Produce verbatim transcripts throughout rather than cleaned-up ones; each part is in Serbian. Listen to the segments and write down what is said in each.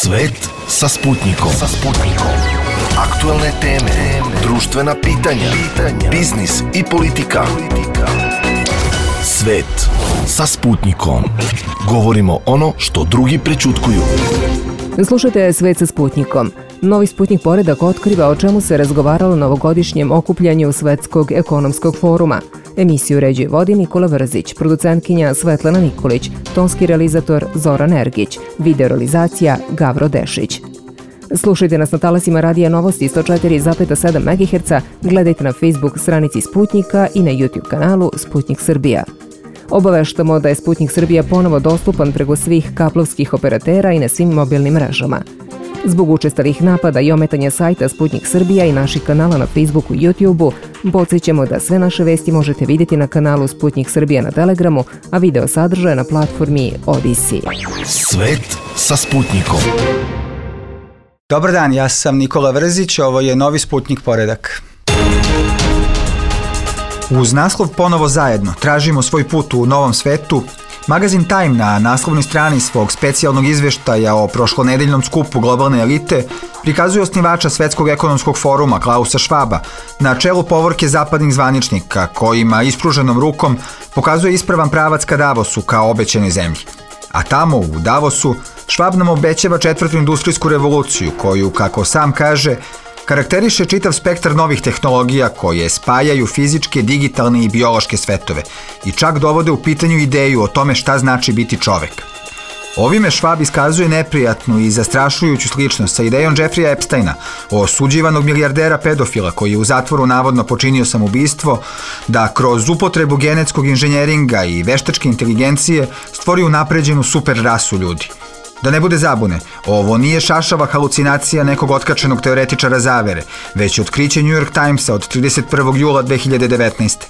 Svet sa Sputnikom. Sa Sputnikom. Aktuelne teme, društvena pitanja, pitanja, biznis i politika. Svet sa Sputnikom. Govorimo ono što drugi prećutkuju. Slušajte Svet sa Sputnikom. Novi Sputnik poredak otkriva o čemu se razgovaralo na ovogodišnjem okupljanju Svetskog ekonomskog foruma. Emisiju uređuje vodi Nikola Vrzić, producentkinja Svetlana Nikolić, tonski realizator Zoran Ergić, video realizacija Gavro Dešić. Slušajte nas na talasima Radija Novosti sto četiri zarez sedam megaherca, gledajte na Facebook stranici Sputnika i na YouTube kanalu Sputnik Srbija. Obaveštamo da je Sputnik Srbija ponovo dostupan preko svih kablovskih operatera i na svim mobilnim mrežama. Zbog učestalih napada i ometanja sajta Sputnik Srbija i naših kanala na Facebooku i YouTubeu, podsjećamo da sve naše vesti možete vidjeti na kanalu Sputnik Srbija na Telegramu, a video sadržaje na platformi Odisi. Svet sa Sputnikom. Dobar dan, ja sam Nikola Vrzić, ovo je Novi Sputnik poredak. Uz naslov Ponovo zajedno, tražimo svoj put u novom svetu, magazin Time na naslovnoj strani svog specijalnog izveštaja o prošlonedeljnom skupu globalne elite prikazuje osnivača Svetskog ekonomskog foruma Klausa Schwaba na čelu povorke zapadnih zvaničnika kojima ispruženom rukom pokazuje ispravan pravac ka Davosu kao obećanoj zemlji. A tamo u Davosu Schwab nam obećava četvrtu industrijsku revoluciju koju, kako sam kaže, karakteriše čitav spektar novih tehnologija koje spajaju fizičke, digitalne i biološke svetove i čak dovode u pitanju ideju o tome šta znači biti čovek. Ovime Schwab iskazuje neprijatnu i zastrašujuću sličnost sa idejom Jeffreya Epsteina, osuđivanog milijardera pedofila koji je u zatvoru navodno počinio samoubistvo, da kroz upotrebu genetskog inženjeringa i veštačke inteligencije stvori unapređenu super rasu ljudi. Da ne bude zabune, ovo nije šašava halucinacija nekog otkačenog teoretičara zavere, već otkriće New York Timesa od trideset prvog jula dve hiljade devetnaeste.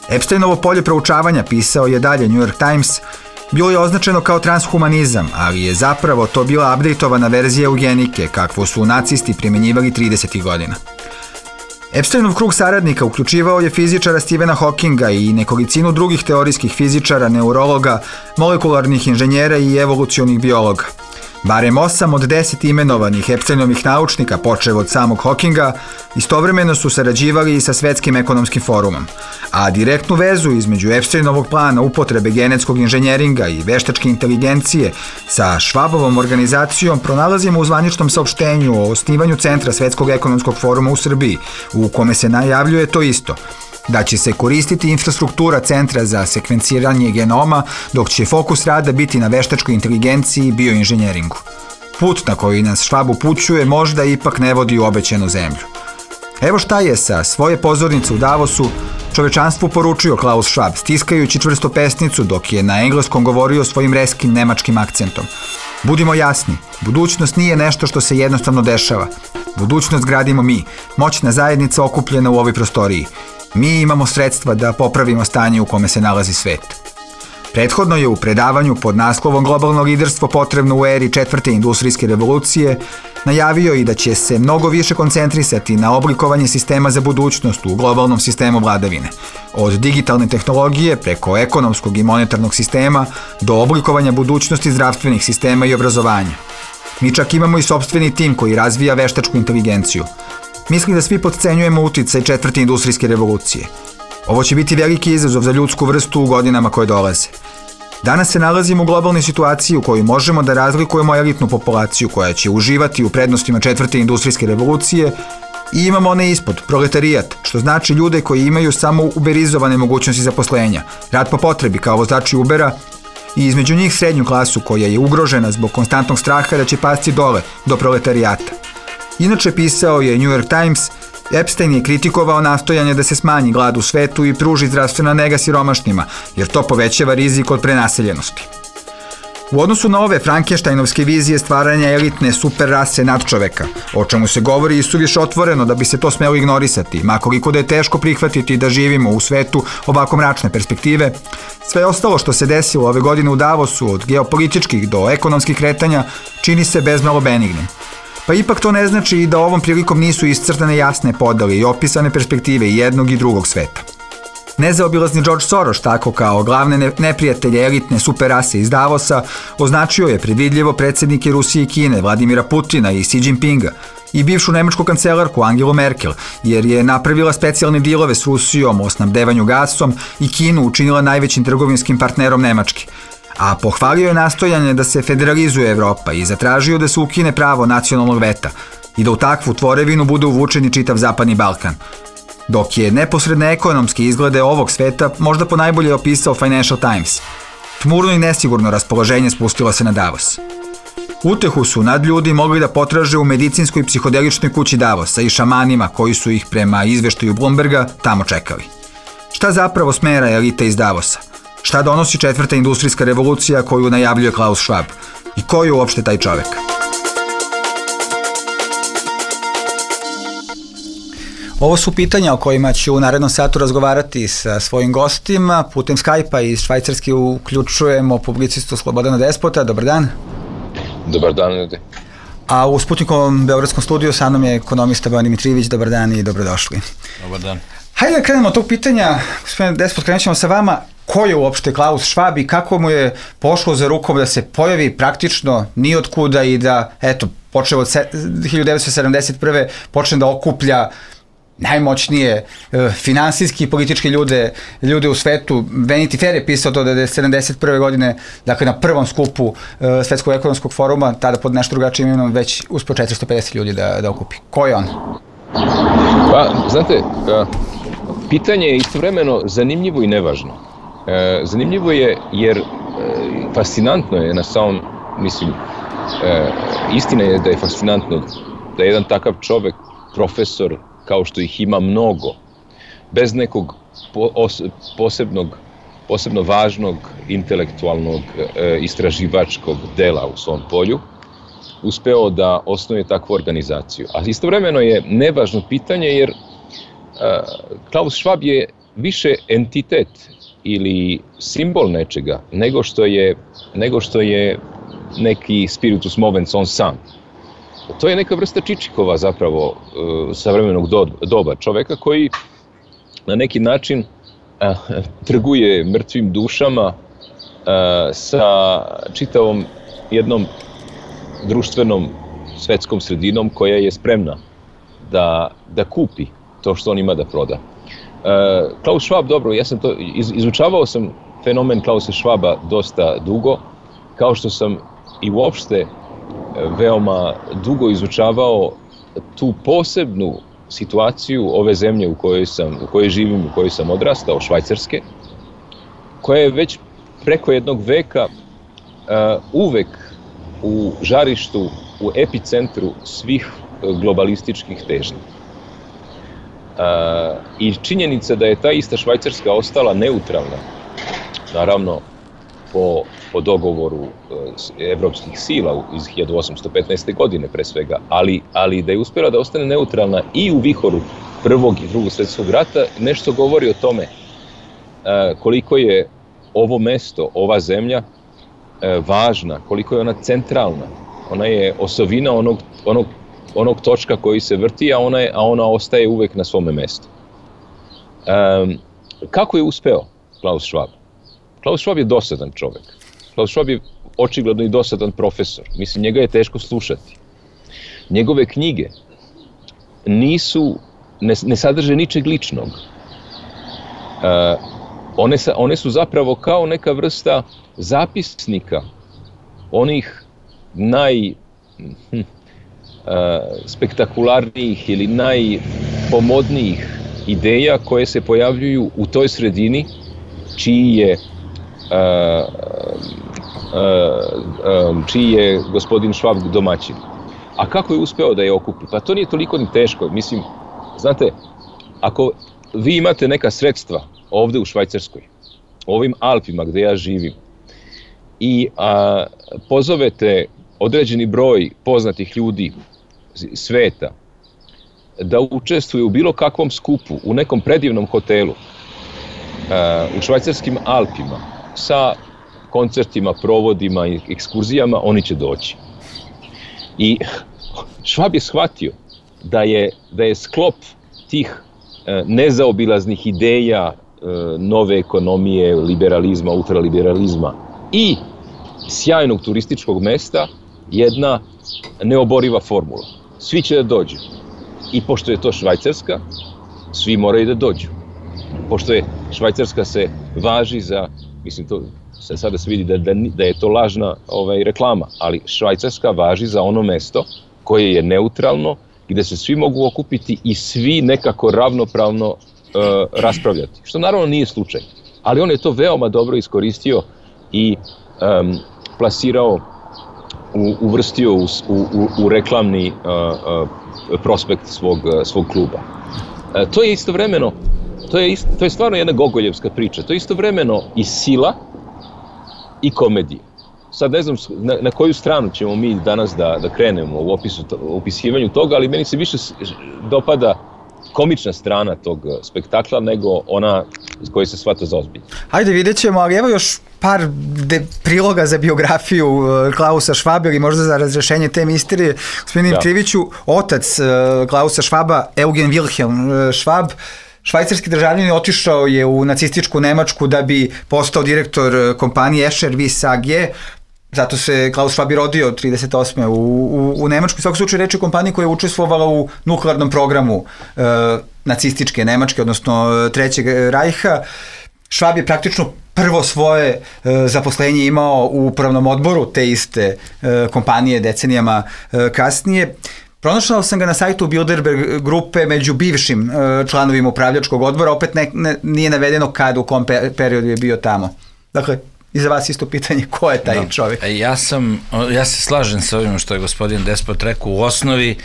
Epsteinovo polje proučavanja, pisao je dalje New York Times, bilo je označeno kao transhumanizam, ali je zapravo to bila updateovana verzija eugenike, kakvu su nacisti primjenjivali tridesetih godina. Epsteinov krug saradnika uključivao je fizičara Stephena Hawkinga i nekolicinu drugih teorijskih fizičara, neurologa, molekularnih inženjera i evolucionih biologa. Barem osam od deset imenovanih Epsteinovih naučnika, počev od samog Hawkinga, istovremeno su sarađivali i sa Svetskim ekonomskim forumom, a direktnu vezu između Epsteinovog plana upotrebe genetskog inženjeringa i veštačke inteligencije sa Schwabovom organizacijom pronalazimo u zvaničnom saopštenju o osnivanju Centra Svetskog ekonomskog foruma u Srbiji, u kome se najavljuje to isto, da će se koristiti infrastruktura Centra za sekvenciranje genoma, dok će fokus rada biti na veštačkoj inteligenciji i bioinženjeringu. Put na koji nas Schwab upućuje možda ipak ne vodi u obećanu zemlju. Evo šta je sa svoje pozornice u Davosu čovečanstvu poručio Klaus Schwab, stiskajući čvrsto pesnicu dok je na engleskom govorio svojim reskim nemačkim akcentom. Budimo jasni, budućnost nije nešto što se jednostavno dešava. Budućnost gradimo mi, moćna zajednica okupljena u ovoj prostoriji. Mi imamo sredstva da popravimo stanje u kome se nalazi svet. Prethodno je u predavanju pod naslovom Globalno liderstvo potrebno u eri četvrte industrijske revolucije najavio i da će se mnogo više koncentrisati na oblikovanje sistema za budućnost u globalnom sistemu vladavine. Od digitalne tehnologije preko ekonomskog i monetarnog sistema do oblikovanja budućnosti zdravstvenih sistema i obrazovanja. Mi čak imamo i sopstveni tim koji razvija veštačku inteligenciju. Mislim da svi potcenjujemo uticaj četvrte industrijske revolucije. Ovo će biti veliki izazov za ljudsku vrstu u godinama koje dolaze. Danas se nalazimo u globalnoj situaciji u kojoj možemo da razlikujemo elitnu populaciju koja će uživati u prednostima četvrte industrijske revolucije i imamo one ispod, proletarijat, što znači ljude koji imaju samo uberizovane mogućnosti zaposlenja, rad po potrebi kao vozači Ubera i između njih srednju klasu koja je ugrožena zbog konstantnog straha da će pasti dole do proletarijata. Inače, pisao je New York Times, Epstein je kritikovao nastojanje da se smanji glad u svetu i pruži zdravstvena nega siromašnima, jer to povećava rizik od prenaseljenosti. U odnosu na ove Frankensteinovske vizije stvaranja elitne super rase nadčoveka, o čemu se govori i suviše otvoreno da bi se to smelo ignorisati, makoliko da je teško prihvatiti da živimo u svetu ovako mračne perspektive, sve ostalo što se desilo ove godine u Davosu, od geopolitičkih do ekonomskih kretanja, čini se bezmalo benignim. Pa ipak to ne znači i da ovom prilikom nisu iscrtane jasne podele i opisane perspektive jednog i drugog sveta. Nezaobilazni George Soros, tako kao glavne neprijatelje elitne superrase iz Davosa, označio je predvidljivo predsjednike Rusije i Kine, Vladimira Putina i Xi Jinpinga, i bivšu nemačku kancelarku Angelu Merkel, jer je napravila specijalne dilove s Rusijom o snabdevanju gasom i Kinu učinila najvećim trgovinskim partnerom Nemačke. A pohvalio je nastojanje da se federalizuje Evropa i zatražio da se ukine pravo nacionalnog veta i da u takvu tvorevinu bude uvučen i čitav Zapadni Balkan. Dok je neposredne ekonomske izglede ovog sveta možda ponajbolje opisao Financial Times. Tmurno i nesigurno raspoloženje spustilo se na Davos. Utehu su nadljudi mogli da potraže u medicinskoj psihodeličnoj kući Davosa i šamanima koji su ih prema izveštaju Bloomberga tamo čekali. Šta zapravo smera elita iz Davosa? Šta donosi četvrta industrijska revolucija koju najavljuje Klaus Schwab? I ko je uopšte taj čovek? Ovo su pitanja o kojima ću u narednom satu razgovarati sa svojim gostima. Putem Skype-a iz Švajcarske uključujemo publicistu Slobodana Despota. Dobar dan. Dobar dan, ljudi. A u Sputnikovom beogradskom studiju sa mnom je ekonomista Bojan Dimitrijević. Dobar dan i dobrodošli. Dobar dan. Hajde da krenemo od tog pitanja, gospodine Despot, krenut ćemo sa vama. Ko je uopšte Klaus Schwab i kako mu je pošlo za rukom da se pojavi praktično ni od kuda i da, eto, počeo od hiljadu devetsto sedamdeset prve počne da okuplja najmoćnije e, finansijski i politički ljude, ljude u svetu. Vanity Fair je pisao to da je sedamdeset prve godine, dakle na prvom skupu e, Svetskog ekonomskog foruma, tada pod nešto drugačijim imenom, već uspio četiristo pedeset ljudi da, da okupi. Ko je on? Pa, znate, pitanje je istovremeno zanimljivo i nevažno. E, zanimljivo je jer e, fascinantno je na samom, mislim, e, istina je da je fascinantno da je jedan takav čovek, profesor, kao što ih ima mnogo, bez nekog posebnog, posebno važnog intelektualnog e, istraživačkog dela u svom polju, uspeo da osnuje takvu organizaciju. A istovremeno je nevažno pitanje jer e, Klaus Schwab je više entitet ili simbol nečega nego što je, nego što je neki spiritus movens on sam. To je neka vrsta Čičikova zapravo uh, savremenog do, doba, čoveka koji na neki način uh, trguje mrtvim dušama uh, sa čitavom jednom društvenom svetskom sredinom koja je spremna da, da kupi to što on ima da proda. Uh, Klaus Schwab, dobro, ja sam to, iz, izučavao sam fenomen Klausa Schwaba dosta dugo, kao što sam i uopšte veoma dugo izučavao tu posebnu situaciju ove zemlje u kojoj sam, u kojoj živim, u kojoj sam odrastao, Švajcarske, koja je već preko jednog veka uh, uvek u žarištu, u epicentru svih globalističkih težnji. Uh, I činjenica da je ta ista Švajcarska ostala neutralna, naravno po, po dogovoru uh, evropskih sila iz hiljadu osamsto petnaeste. godine pre svega, ali, ali da je uspjela da ostane neutralna i u vihoru Prvog i Drugog svjetskog rata, nešto govori o tome uh, koliko je ovo mesto, ova zemlja uh, važna, koliko je ona centralna. Ona je osovina onog, onog, onog točka koji se vrti, a ona, je, a ona ostaje uvek na svome mestu. Um, kako je uspeo Klaus Schwab? Klaus Schwab je dosadan čovek. Klaus Schwab je očigledno i dosadan profesor. Mislim, njega je teško slušati. Njegove knjige nisu, ne, ne sadrže ničeg ličnog. Uh, one, sa, one su zapravo kao neka vrsta zapisnika onih naj hm, uh, spektakularnijih ili najpomodnijih ideja koje se pojavljuju u toj sredini čiji je uh, uh, um, čiji je gospodin Schwab domaćin. A kako je uspeo da je okupi? Pa to nije toliko ni teško. Mislim, znate, ako vi imate neka sredstva ovde u Švajcarskoj, u ovim Alpima gde ja živim, i a, pozovete određeni broj poznatih ljudi sveta da učestvuju u bilo kakvom skupu, u nekom predivnom hotelu a, u švajcarskim Alpima, sa koncertima, provodima i ekskurzijama, oni će doći. I Schwab je shvatio da je, da je sklop tih e, nezaobilaznih ideja nove ekonomije, liberalizma, ultraliberalizma i sjajnog turističkog mesta jedna neoboriva formula. Svi će da dođu. I pošto je to Švajcarska, svi moraju da dođu. Pošto je Švajcarska se važi za, mislim, to se sada se vidi da, da, da je to lažna ovaj, reklama, ali Švajcarska važi za ono mesto koje je neutralno, gde se svi mogu okupiti i svi nekako ravnopravno uh, raspravljati. Što naravno nije slučaj. Ali on je to veoma dobro iskoristio i um, plasirao, u, uvrstio u, u, u reklamni uh, uh, prospekt svog, uh, svog kluba. Uh, to je istovremeno, to je, ist, to je stvarno jedna gogoljevska priča. To je istovremeno i sila i komedija. Sad ne znam na, na koju stranu ćemo mi danas da, da krenemo u opisu, u opisivanju toga, ali meni se više dopada komična strana tog spektakla nego ona koji se shvata za ozbiljno. Hajde, vidjet ćemo, ali evo još par de, priloga za biografiju uh, Klausa Švaba ili možda za razrešenje te misterije. Gospodin ja. Kriviću, otac uh, Klausa Švaba, Eugen Wilhelm uh, Švab, švajcarski državljanin, otišao je u nacističku Nemačku da bi postao direktor kompanije Escher Wyss A G. Zato se Klaus Schwab rodio trideset osme u, u, u Nemačkoj. U svakom slučaju reč je kompaniji koja je učestvovala u nuklearnom programu e, nacističke Nemačke, odnosno Trećeg rajha. Schwab je praktično prvo svoje e, zaposlenje imao u upravnom odboru te iste e, kompanije decenijama e, kasnije. Pronašao sam ga na sajtu Bilderberg grupe među bivšim e, članovima upravljačkog odbora, opet ne, ne, nije navedeno kad, u kom pe, periodu je bio tamo. Dakle, i za vas isto pitanje, ko je taj no, čovjek? Ja sam, ja se slažem sa ovim što je gospodin Despot rekao. U osnovi,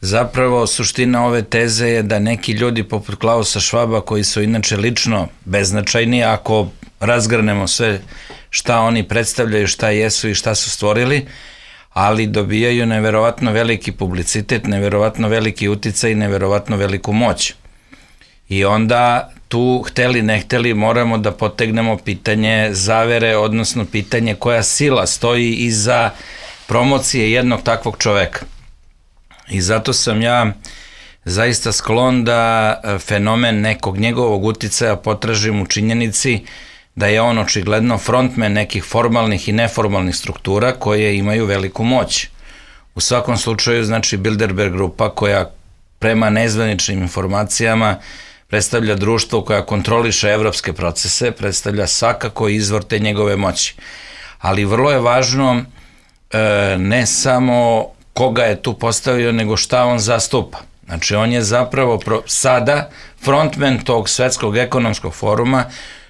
zapravo, suština ove teze je da neki ljudi poput Klausa Švaba, koji su inače lično beznačajni, ako razgrnemo sve šta oni predstavljaju, šta jesu i šta su stvorili, ali dobijaju neverovatno veliki publicitet, neverovatno veliki uticaj i neverovatno veliku moć. I onda tu, hteli ne hteli, moramo da potegnemo pitanje zavere, odnosno pitanje koja sila stoji iza promocije jednog takvog čoveka. I zato sam ja zaista sklon da fenomen nekog njegovog uticaja potražim u činjenici da je on očigledno frontmen nekih formalnih i neformalnih struktura koje imaju veliku moć. U svakom slučaju, znači, Bilderberg grupa koja prema nezvaničnim informacijama predstavlja društvo koja kontroliše evropske procese, predstavlja svakako izvor te njegove moći. Ali vrlo je važno e, ne samo koga je tu postavio, nego šta on zastupa. Znači, on je zapravo pro, sada frontman tog svetskog ekonomskog foruma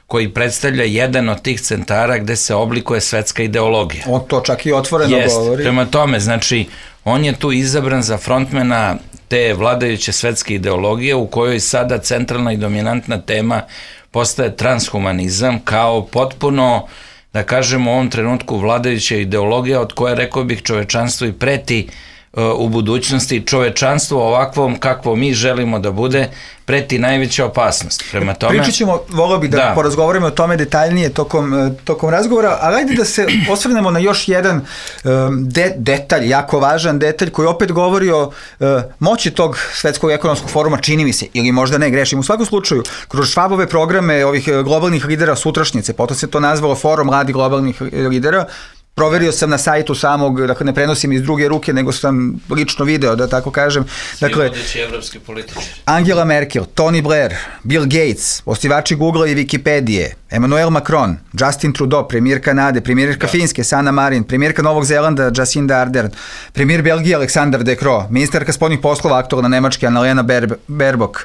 koji predstavlja jedan od tih centara gde se oblikuje svetska ideologija. On to čak i otvoreno Jest, govori. Prema tome, znači, on je tu izabran za frontmana te vladajuće svetske ideologije u kojoj sada centralna i dominantna tema postaje transhumanizam kao potpuno, da kažemo, u ovom trenutku vladajuća ideologija od koje, rekao bih, čovečanstvo i preti uh, u budućnosti. Čovečanstvo ovakvom kakvo mi želimo da bude preti najveća opasnost. Prema tome, pričat ćemo, volio bih da, da porazgovorimo o tome detaljnije tokom, tokom razgovora, ali ajde da se osvrnemo na još jedan um, de, detalj, jako važan detalj koji opet govori o uh, moći tog svetskog ekonomskog foruma, čini mi se, ili možda ne, grešim. U svakom slučaju, kroz Švabove programe ovih globalnih lidera sutrašnjice, potom se to nazvalo Forum mladih globalnih lidera, proverio sam na sajtu samog, dakle ne prenosim iz druge ruke, nego sam lično video, da tako kažem. Dakle, svi evropski političari. Angela Merkel, Tony Blair, Bill Gates, osnivači Google i Wikipedije, Emmanuel Macron, Justin Trudeau, premijer Kanade, premijerka da. Finske, Sanna Marin, premijerka Novog Zelanda, Jacinda Ardern, premijer Belgije, Aleksandar De Croo, ministarka spoljnih poslova, aktualna Nemačke, Annalena Baerbock.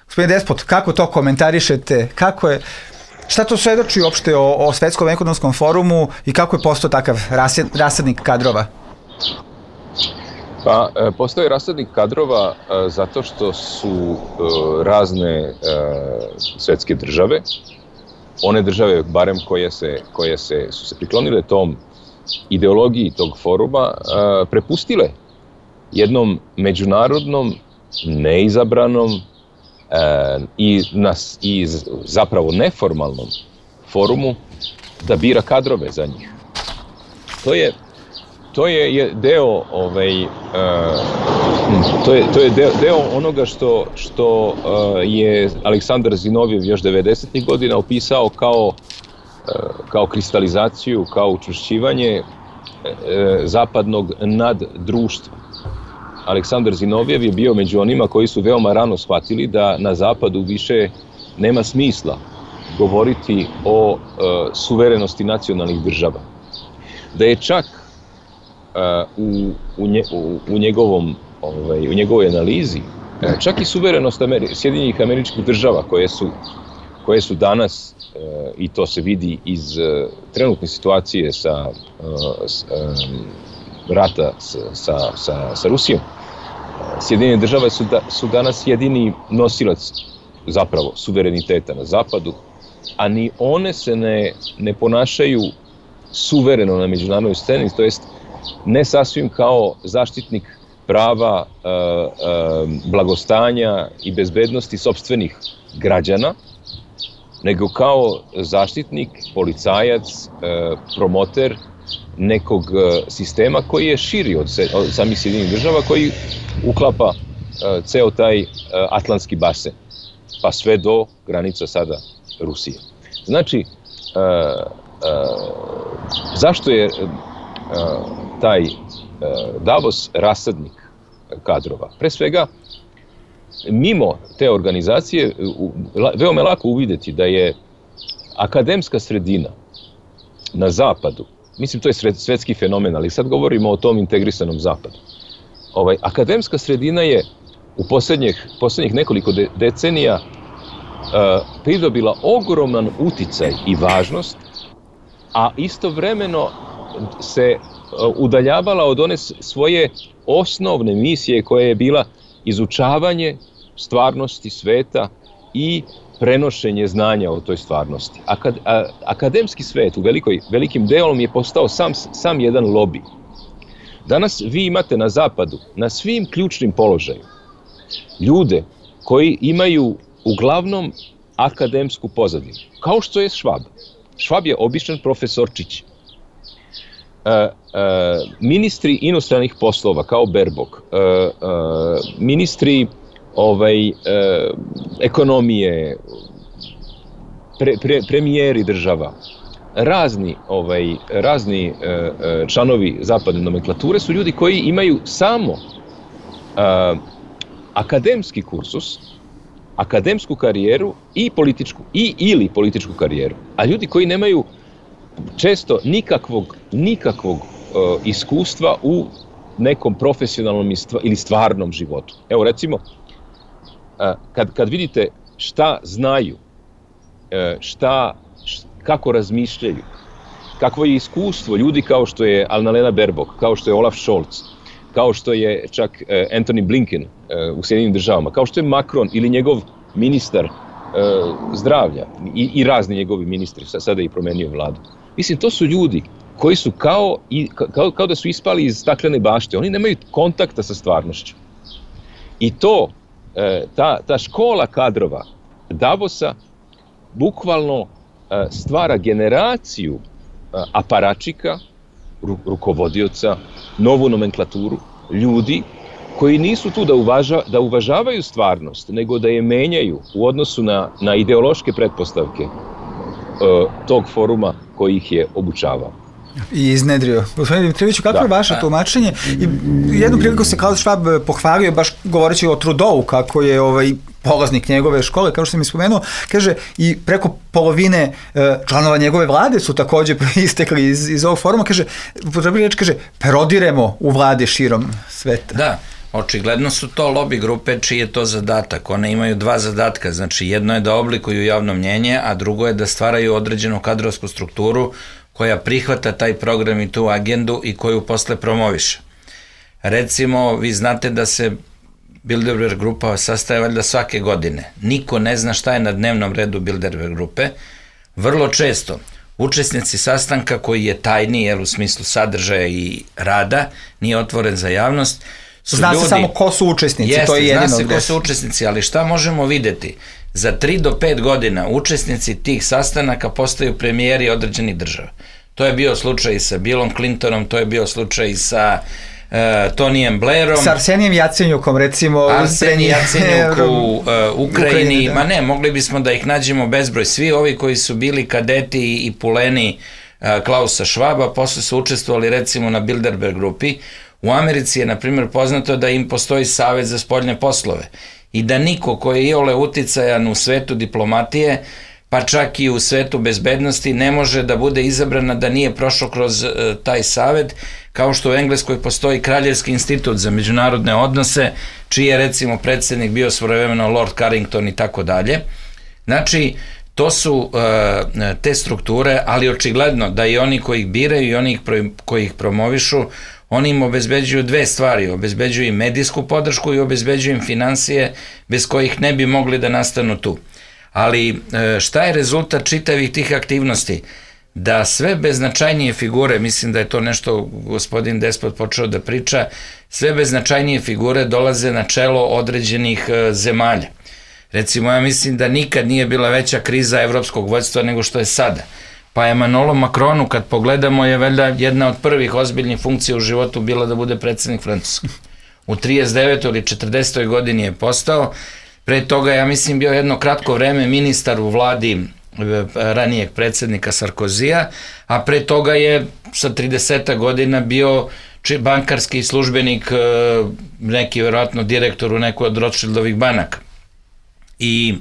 Gospodin Despot, kako to komentarišete? Kako je... Šta to svedoči uopšte o, o svetskom ekonomskom forumu i kako je postao takav rased, rasadnik kadrova? Pa, postao je rasadnik kadrova zato što su razne svetske države, one države, barem koje, se, koje se, su se priklonile tom ideologiji tog foruma, prepustile jednom međunarodnom, neizabranom, I, nas, i zapravo neformalnom forumu da bira kadrove za njih. To je to je deo ovaj, uh, to je, to je deo, deo onoga što, što uh, je Aleksandar Zinovjev još devedesetih godina opisao kao, uh, kao kristalizaciju, kao učvršćivanje uh, zapadnog naddruštva. Aleksandar Zinovjev je bio među onima koji su veoma rano shvatili da na zapadu više nema smisla govoriti o uh, suverenosti nacionalnih država. Da je čak uh, u, u, nje, u, u, njegovom, ovaj, u njegovoj analizi uh, čak i suverenost Ameri- Sjedinjenih Američkih Država koje su, koje su danas, uh, i to se vidi iz uh, trenutne situacije sa uh, s, um, rata sa, sa, sa, sa Rusijom, Sjedinjene Države su, da, su danas jedini nosilac zapravo suvereniteta na zapadu, a ni one se ne, ne ponašaju suvereno na međunarodnoj sceni, to jest ne sasvim kao zaštitnik prava, e, e, blagostanja i bezbednosti sopstvenih građana, nego kao zaštitnik, policajac, e, promoter nekog sistema koji je širi od, se, od samih Sjedinjenih Država, koji uklapa e, ceo taj e, atlantski basen, pa sve do granica sada Rusije. Znači, e, e, zašto je e, taj e, Davos rasadnik kadrova? Pre svega, mimo te organizacije, u, veoma je lako uvideti da je akademska sredina na zapadu, mislim to je svetski fenomen, ali sad govorimo o tom integrisanom zapadu. Ovaj, akademska sredina je u posljednjih, posljednjih nekoliko de, decenija uh, pridobila ogroman uticaj i važnost, a istovremeno se uh, udaljavala od one svoje osnovne misije koja je bila izučavanje stvarnosti sveta i prenošenje znanja o toj stvarnosti. Akad, a, akademski svet u velikoj, velikim delom je postao sam, sam jedan lobi. Danas vi imate na zapadu, na svim ključnim položajima, ljude koji imaju uglavnom akademsku pozadinu, kao što je Švab. Švab je običan profesorčić. E, e, ministri inostranih poslova, kao Berbok, e, e, ministri ovaj, e, ekonomije, pre, pre, premijeri država, razni, ovaj, razni e, e, članovi zapadne nomenklature su ljudi koji imaju samo e, akademski kursus, akademsku karijeru i političku, i ili političku karijeru, a ljudi koji nemaju često nikakvog, nikakvog e, iskustva u nekom profesionalnom ili stvarnom životu. Evo recimo, Kad, kad vidite šta znaju, šta, kako razmišljaju, kakvo je iskustvo ljudi kao što je Annalena Baerbock, kao što je Olaf Scholz, kao što je čak Antony Blinken u Sjedinjenim Državama, kao što je Macron ili njegov ministar zdravlja i, i razni njegovi ministri, sada je i promenio vladu. Mislim, to su ljudi koji su kao, i, kao, kao da su ispali iz staklene bašte, oni nemaju kontakta sa stvarnošću. I to Ta, ta škola kadrova Davosa bukvalno stvara generaciju aparačika, rukovodioca, novu nomenklaturu, ljudi koji nisu tu da, uvaža, da uvažavaju stvarnost, nego da je menjaju u odnosu na, na ideološke pretpostavke tog foruma koji ih je obučavao. I iznedrio. Gospodine Dimitrijeviću, kako da, je vaše tumačenje? I jednu priliku se Klaus Schwab pohvalio, baš govoreći o Trudeau, kako je ovaj polaznik njegove škole, kao što sam mi spomenuo, kaže i preko polovine e, članova njegove vlade su također istekli iz, iz ovog foruma, kaže, potrebno reći, kaže, prodiremo u vlade širom sveta. Da. Očigledno su to lobby grupe čiji je to zadatak. One imaju dva zadatka, znači jedno je da oblikuju javno mnjenje, a drugo je da stvaraju određenu kadrovsku strukturu koja prihvata taj program i tu agendu i koju posle promoviše. Recimo, vi znate da se Bilderberg grupa sastaje valjda svake godine. Niko ne zna šta je na dnevnom redu Bilderberg grupe. Vrlo često učesnici sastanka koji je tajni, jer u smislu sadržaja i rada, nije otvoren za javnost, Zna ljudi, se samo ko su učesnici, jeste, to je jedino. Zna se ko su učesnici, ali šta možemo videti? Za tri do pet godina učesnici tih sastanaka postaju premijeri određenih država. To je bio slučaj sa Billom Clintonom, to je bio slučaj sa uh, Tonijem Blairom. Sa Arsenijem Jacenjukom, recimo. Arsenij Jacenjuk u uh, Ukrajini. Da. Ma ne, mogli bismo da ih nađemo bezbroj. Svi ovi koji su bili kadeti i puleni uh, Klausa Schwaba, posle su učestvovali recimo na Bilderberg grupi. U Americi je, na primjer, poznato da im postoji Savet za spoljne poslove i da niko koji je iole uticajan u svetu diplomatije, pa čak i u svetu bezbednosti, ne može da bude izabrana da nije prošao kroz uh, taj savet, kao što u Engleskoj postoji Kraljevski institut za međunarodne odnose, čiji je recimo predsjednik bio svojevremeno Lord Carrington i tako dalje. Znači, to su uh, te strukture, ali očigledno da i oni koji ih biraju i oni koji ih promovišu, oni im obezbeđuju dve stvari, obezbeđuju im medijsku podršku i obezbeđuju im finansije bez kojih ne bi mogli da nastanu tu. Ali šta je rezultat čitavih tih aktivnosti? Da sve beznačajnije figure, mislim da je to nešto gospodin Despot počeo da priča, sve beznačajnije figure dolaze na čelo određenih zemalja. Recimo, ja mislim da nikad nije bila veća kriza evropskog vođstva nego što je sada. Pa Emmanuelu Macronu, kad pogledamo, je valjda jedna od prvih ozbiljnih funkcija u životu bila da bude predsjednik Francuske. U trideset devetoj ili četrdesetoj godini je postao. Pre toga, ja mislim, bio jedno kratko vreme ministar u vladi ranijeg predsjednika Sarkozija, a pre toga je sa trideset godina bio bankarski službenik, neki vjerojatno direktor u nekoj od Rothschildovih banaka. I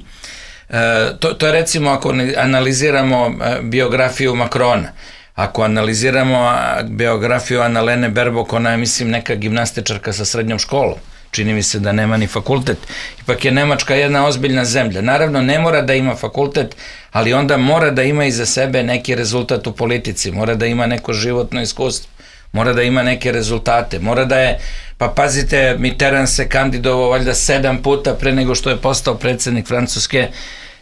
to, to je recimo ako analiziramo biografiju Macrona, ako analiziramo biografiju Annalene Baerbock, ona je, mislim, neka gimnastičarka sa srednjom školom. Čini mi se da nema ni fakultet. Ipak je Nemačka jedna ozbiljna zemlja. Naravno, ne mora da ima fakultet, ali onda mora da ima iza sebe neki rezultat u politici, mora da ima neko životno iskustvo, mora da ima neke rezultate, mora da je, pa pazite, Mitterrand se kandidovao valjda sedam puta pre nego što je postao predsjednik Francuske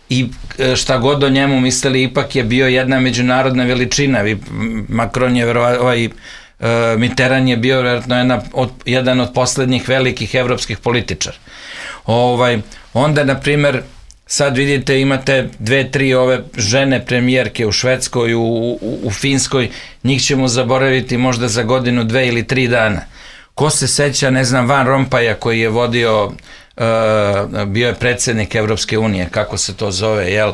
i šta god o njemu mislili, ipak je bio jedna međunarodna veličina. Macron je verovatno, ovaj, Mitterrand je bio vjerojatno jedna od, jedan od poslednjih velikih evropskih političara. Ovaj, onda, na primjer, sad vidite, imate dve, tri ove žene premijerke u Švedskoj, u, u, u Finskoj, njih ćemo zaboraviti možda za godinu, dve ili tri dana. Ko se seća, ne znam, Van Rompaja koji je vodio, uh, bio je predsjednik Evropske unije, kako se to zove, jel?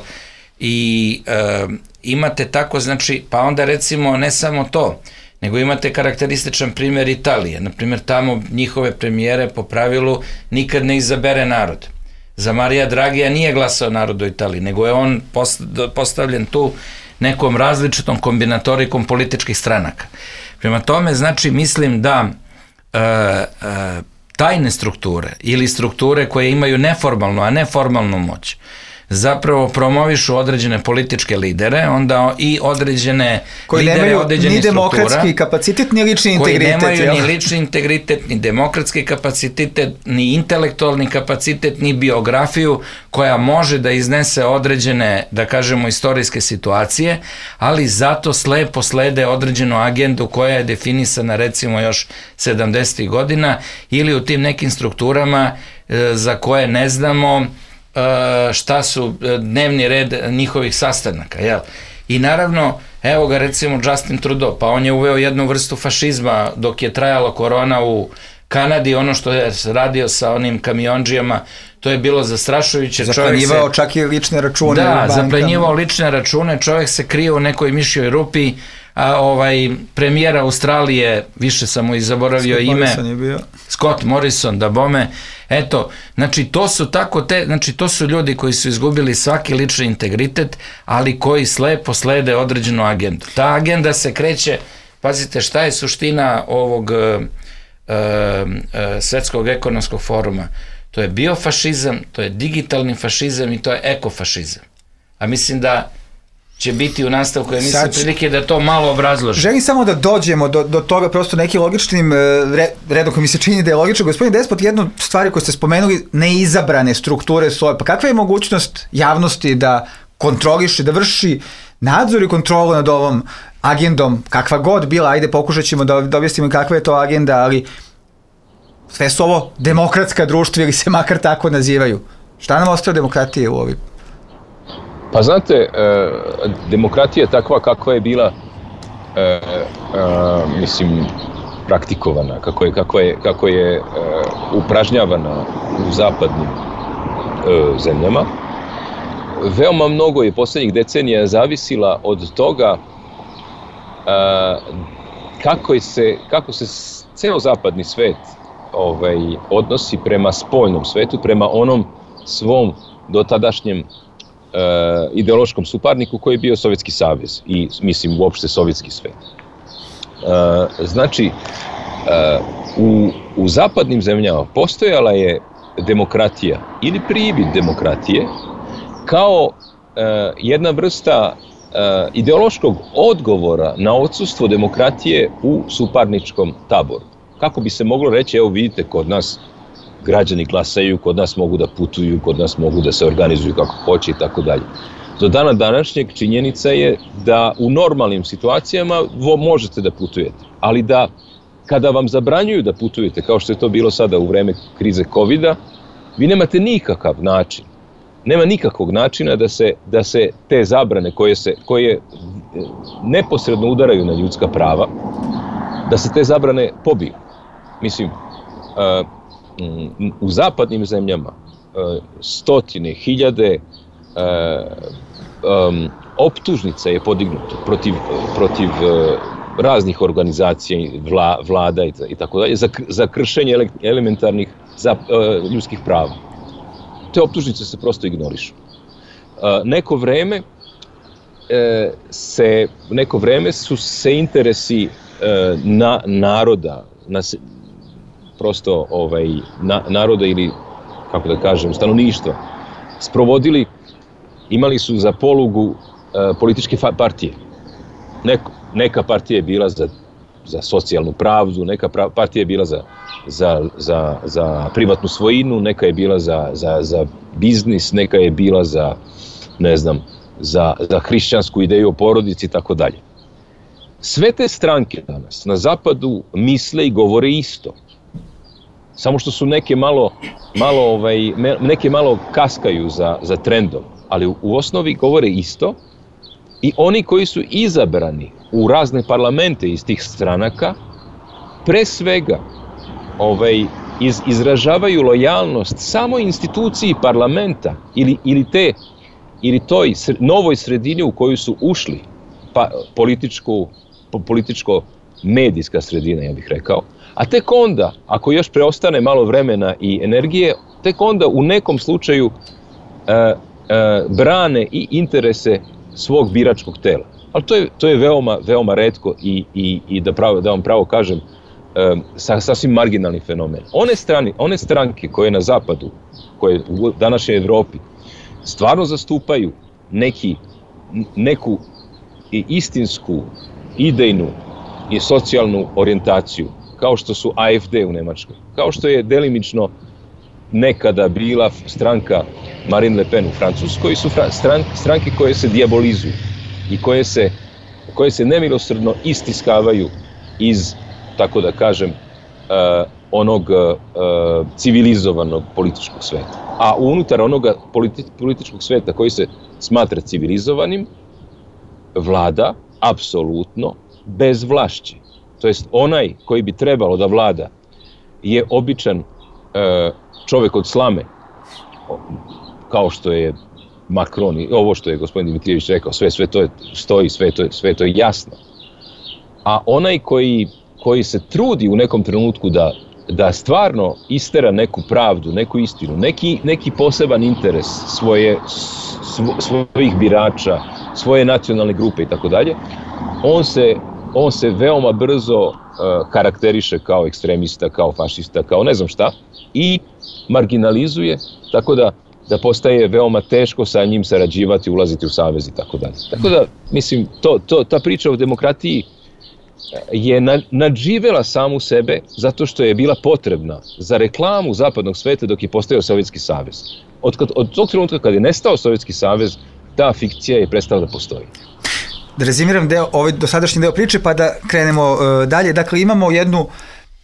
I uh, imate tako, znači, pa onda recimo ne samo to, nego imate karakterističan primjer Italije. Naprimjer, tamo njihove premijere po pravilu nikad ne izabere narod. Za Marija Dragija nije glasao narod u Italiji, nego je on postavljen tu nekom različitom kombinatorikom političkih stranaka. Prema tome, znači, mislim da e, e, tajne strukture ili strukture koje imaju neformalnu, a ne formalnu moć, zapravo promovišu određene političke lidere, onda i određene koji lidere nemaju određenih ni demokratski struktura, kapacitet, ni lični integritet. Koji nemaju jel? Ni lični integritet, ni demokratski kapacitet, ni intelektualni kapacitet, ni biografiju koja može da iznese određene, da kažemo, istorijske situacije, ali zato slepo slede određenu agendu koja je definisana recimo još sedamdesetih godina ili u tim nekim strukturama e, za koje ne znamo šta su dnevni red njihovih sastanaka, jel? I naravno, evo ga recimo Justin Trudeau, pa on je uveo jednu vrstu fašizma dok je trajala korona u Kanadi, ono što je radio sa onim kamiondžijama, to je bilo zastrašujuće. Zaplanjivao čak i lične račune. Da, zaplanjivao lične račune, čovjek se krije u nekoj mišjoj rupi, a ovaj premijer Australije, više sam mu i zaboravio Scott ime, Morrison je bio. Scott Morrison, da bome, eto, znači to su tako te, znači to su ljudi koji su izgubili svaki lični integritet, ali koji slepo slede određenu agendu. Ta agenda se kreće, pazite šta je suština ovog uh, uh, svetskog ekonomskog foruma, to je biofašizam, to je digitalni fašizam i to je ekofašizam. A mislim da će biti u nastavku, ja mislim prilike da to malo obrazloži. Želim samo da dođemo do, do toga prosto nekim logičnim re, redom koji mi se čini da je logično. Gospodin Despot, jednu stvari koju ste spomenuli, neizabrane strukture svoje, pa kakva je mogućnost javnosti da kontroliše, da vrši nadzor i kontrolu nad ovom agendom, kakva god bila, ajde pokušat ćemo da, da objasnimo kakva je to agenda, ali sve su ovo demokratska društva ili se makar tako nazivaju. Šta nam ostaje demokratije u ovim? Pa znate, demokratija je takva kakva je bila e, e, mislim, praktikovana, kako je, kako je, kako je e, upražnjavana u zapadnim e, zemljama. Veoma mnogo je poslednjih decenija zavisila od toga e, kako, je se, kako se ceo zapadni svet ovaj, odnosi prema spoljnom svetu, prema onom svom dotadašnjem Uh, ideološkom suparniku koji je bio Sovjetski savez i, mislim, uopšte sovjetski svet. Uh, znači, uh, u, u zapadnim zemljama postojala je demokratija ili pribit demokratije kao uh, jedna vrsta uh, ideološkog odgovora na odsustvo demokratije u suparničkom taboru. Kako bi se moglo reći, evo vidite, kod nas građani glasaju, kod nas mogu da putuju, kod nas mogu da se organizuju kako hoće i tako dalje. Do dana današnjeg činjenica je da u normalnim situacijama možete da putujete, ali da kada vam zabranjuju da putujete, kao što je to bilo sada u vreme krize kovida, vi nemate nikakav način, nema nikakvog načina da se, da se te zabrane koje, se, koje neposredno udaraju na ljudska prava, da se te zabrane pobiju. Mislim, uh, u zapadnim zemljama stotine, hiljade um, optužnica je podignuto protiv, protiv raznih organizacija, vla, vlada i, i tako dalje, za, za kršenje ele, elementarnih za, uh, ljudskih prava. Te optužnice se prosto ignorišu. Uh, neko vreme uh, se, neko vreme su se interesi uh, na, naroda, na prosto ovaj, na, naroda ili, kako da kažem, stanovništva, sprovodili, imali su za polugu e, političke partije. Neko, neka partija je bila za, za socijalnu pravdu, neka pra, partija je bila za, za, za, za privatnu svojinu, neka je bila za, za, za biznis, neka je bila za, ne znam, za, za hrišćansku ideju o porodici i tako dalje. Sve te stranke danas na zapadu misle i govore isto. Samo što su neke malo, malo, ovaj, neke malo kaskaju za, za trendom, ali u, u osnovi govore isto i oni koji su izabrani u razne parlamente iz tih stranaka, pre svega ovaj, iz, izražavaju lojalnost samo instituciji parlamenta ili, ili, te, ili toj novoj sredini u koju su ušli, pa, političku, političko medijska sredina, ja bih rekao. A tek onda, ako još preostane malo vremena i energije, tek onda u nekom slučaju e, e, brane i interese svog biračkog tela. Ali to je, to je veoma, veoma retko i, i, i da, pravo, da vam pravo kažem, e, sa, sasvim marginalni fenomen. One, strani, one stranke koje na zapadu, koje u današnjoj Evropi, stvarno zastupaju neki, neku istinsku, idejnu i socijalnu orijentaciju, kao što su A F D u Nemačkoj, kao što je delimično nekada bila stranka Marine Le Pen u Francuskoj, su stran, stranke koje se dijabolizuju i koje se, koje se nemilosrdno istiskavaju iz, tako da kažem, uh, onog uh, civilizovanog političkog sveta. A unutar onoga politi, političkog sveta koji se smatra civilizovanim, vlada apsolutno bezvlašće. To jest onaj koji bi trebalo da vlada je običan e, čovek od slame, kao što je Macron i ovo što je gospodin Dimitrijević rekao, sve, sve to je, stoji, sve to je, sve to je jasno. A onaj koji, koji se trudi u nekom trenutku da, da stvarno istera neku pravdu, neku istinu, neki, neki poseban interes svoje, svo, svojih birača, svoje nacionalne grupe i tako dalje, on se on se veoma brzo uh, karakteriše kao ekstremista, kao fašista, kao ne znam šta i marginalizuje, tako da, da postaje veoma teško sa njim sarađivati, ulaziti u savez i tako dalje. Tako da, mislim, to, to, ta priča o demokratiji je na, nadživela samu sebe zato što je bila potrebna za reklamu zapadnog sveta dok je postojao Sovjetski savez. Od, kad, od tog trenutka kad je nestao Sovjetski savez, ta fikcija je prestala da postoji. Da rezimiram deo, ovaj dosadašnji deo priče pa da krenemo uh, dalje. Dakle, imamo jednu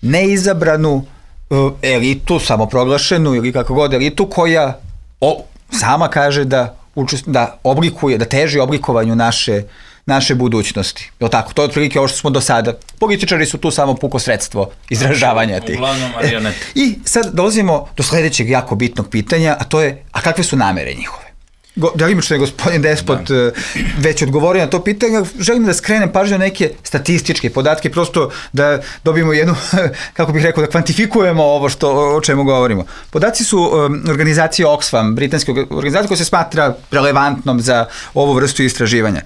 neizabranu uh, elitu, samoproglašenu ili kako god elitu, koja o, sama kaže da, učest, da oblikuje, da teži oblikovanju naše naše budućnosti. Je tako? To je otprilike ovo što smo do sada. Političari su tu samo puko sredstvo izražavanja tih. Uglavnom marionete. I sad dolazimo do sledećeg jako bitnog pitanja, a to je, a kakve su namere njihove? Delimično je gospodin Despot da. već odgovorio na to pitanje. Želim da skrenem pažnju na neke statističke podatke, prosto da dobijemo jednu, kako bih rekao, da kvantifikujemo ovo što, o čemu govorimo. Podaci su um, organizacije Oxfam, britanske organizacije koja se smatra relevantnom za ovu vrstu istraživanja.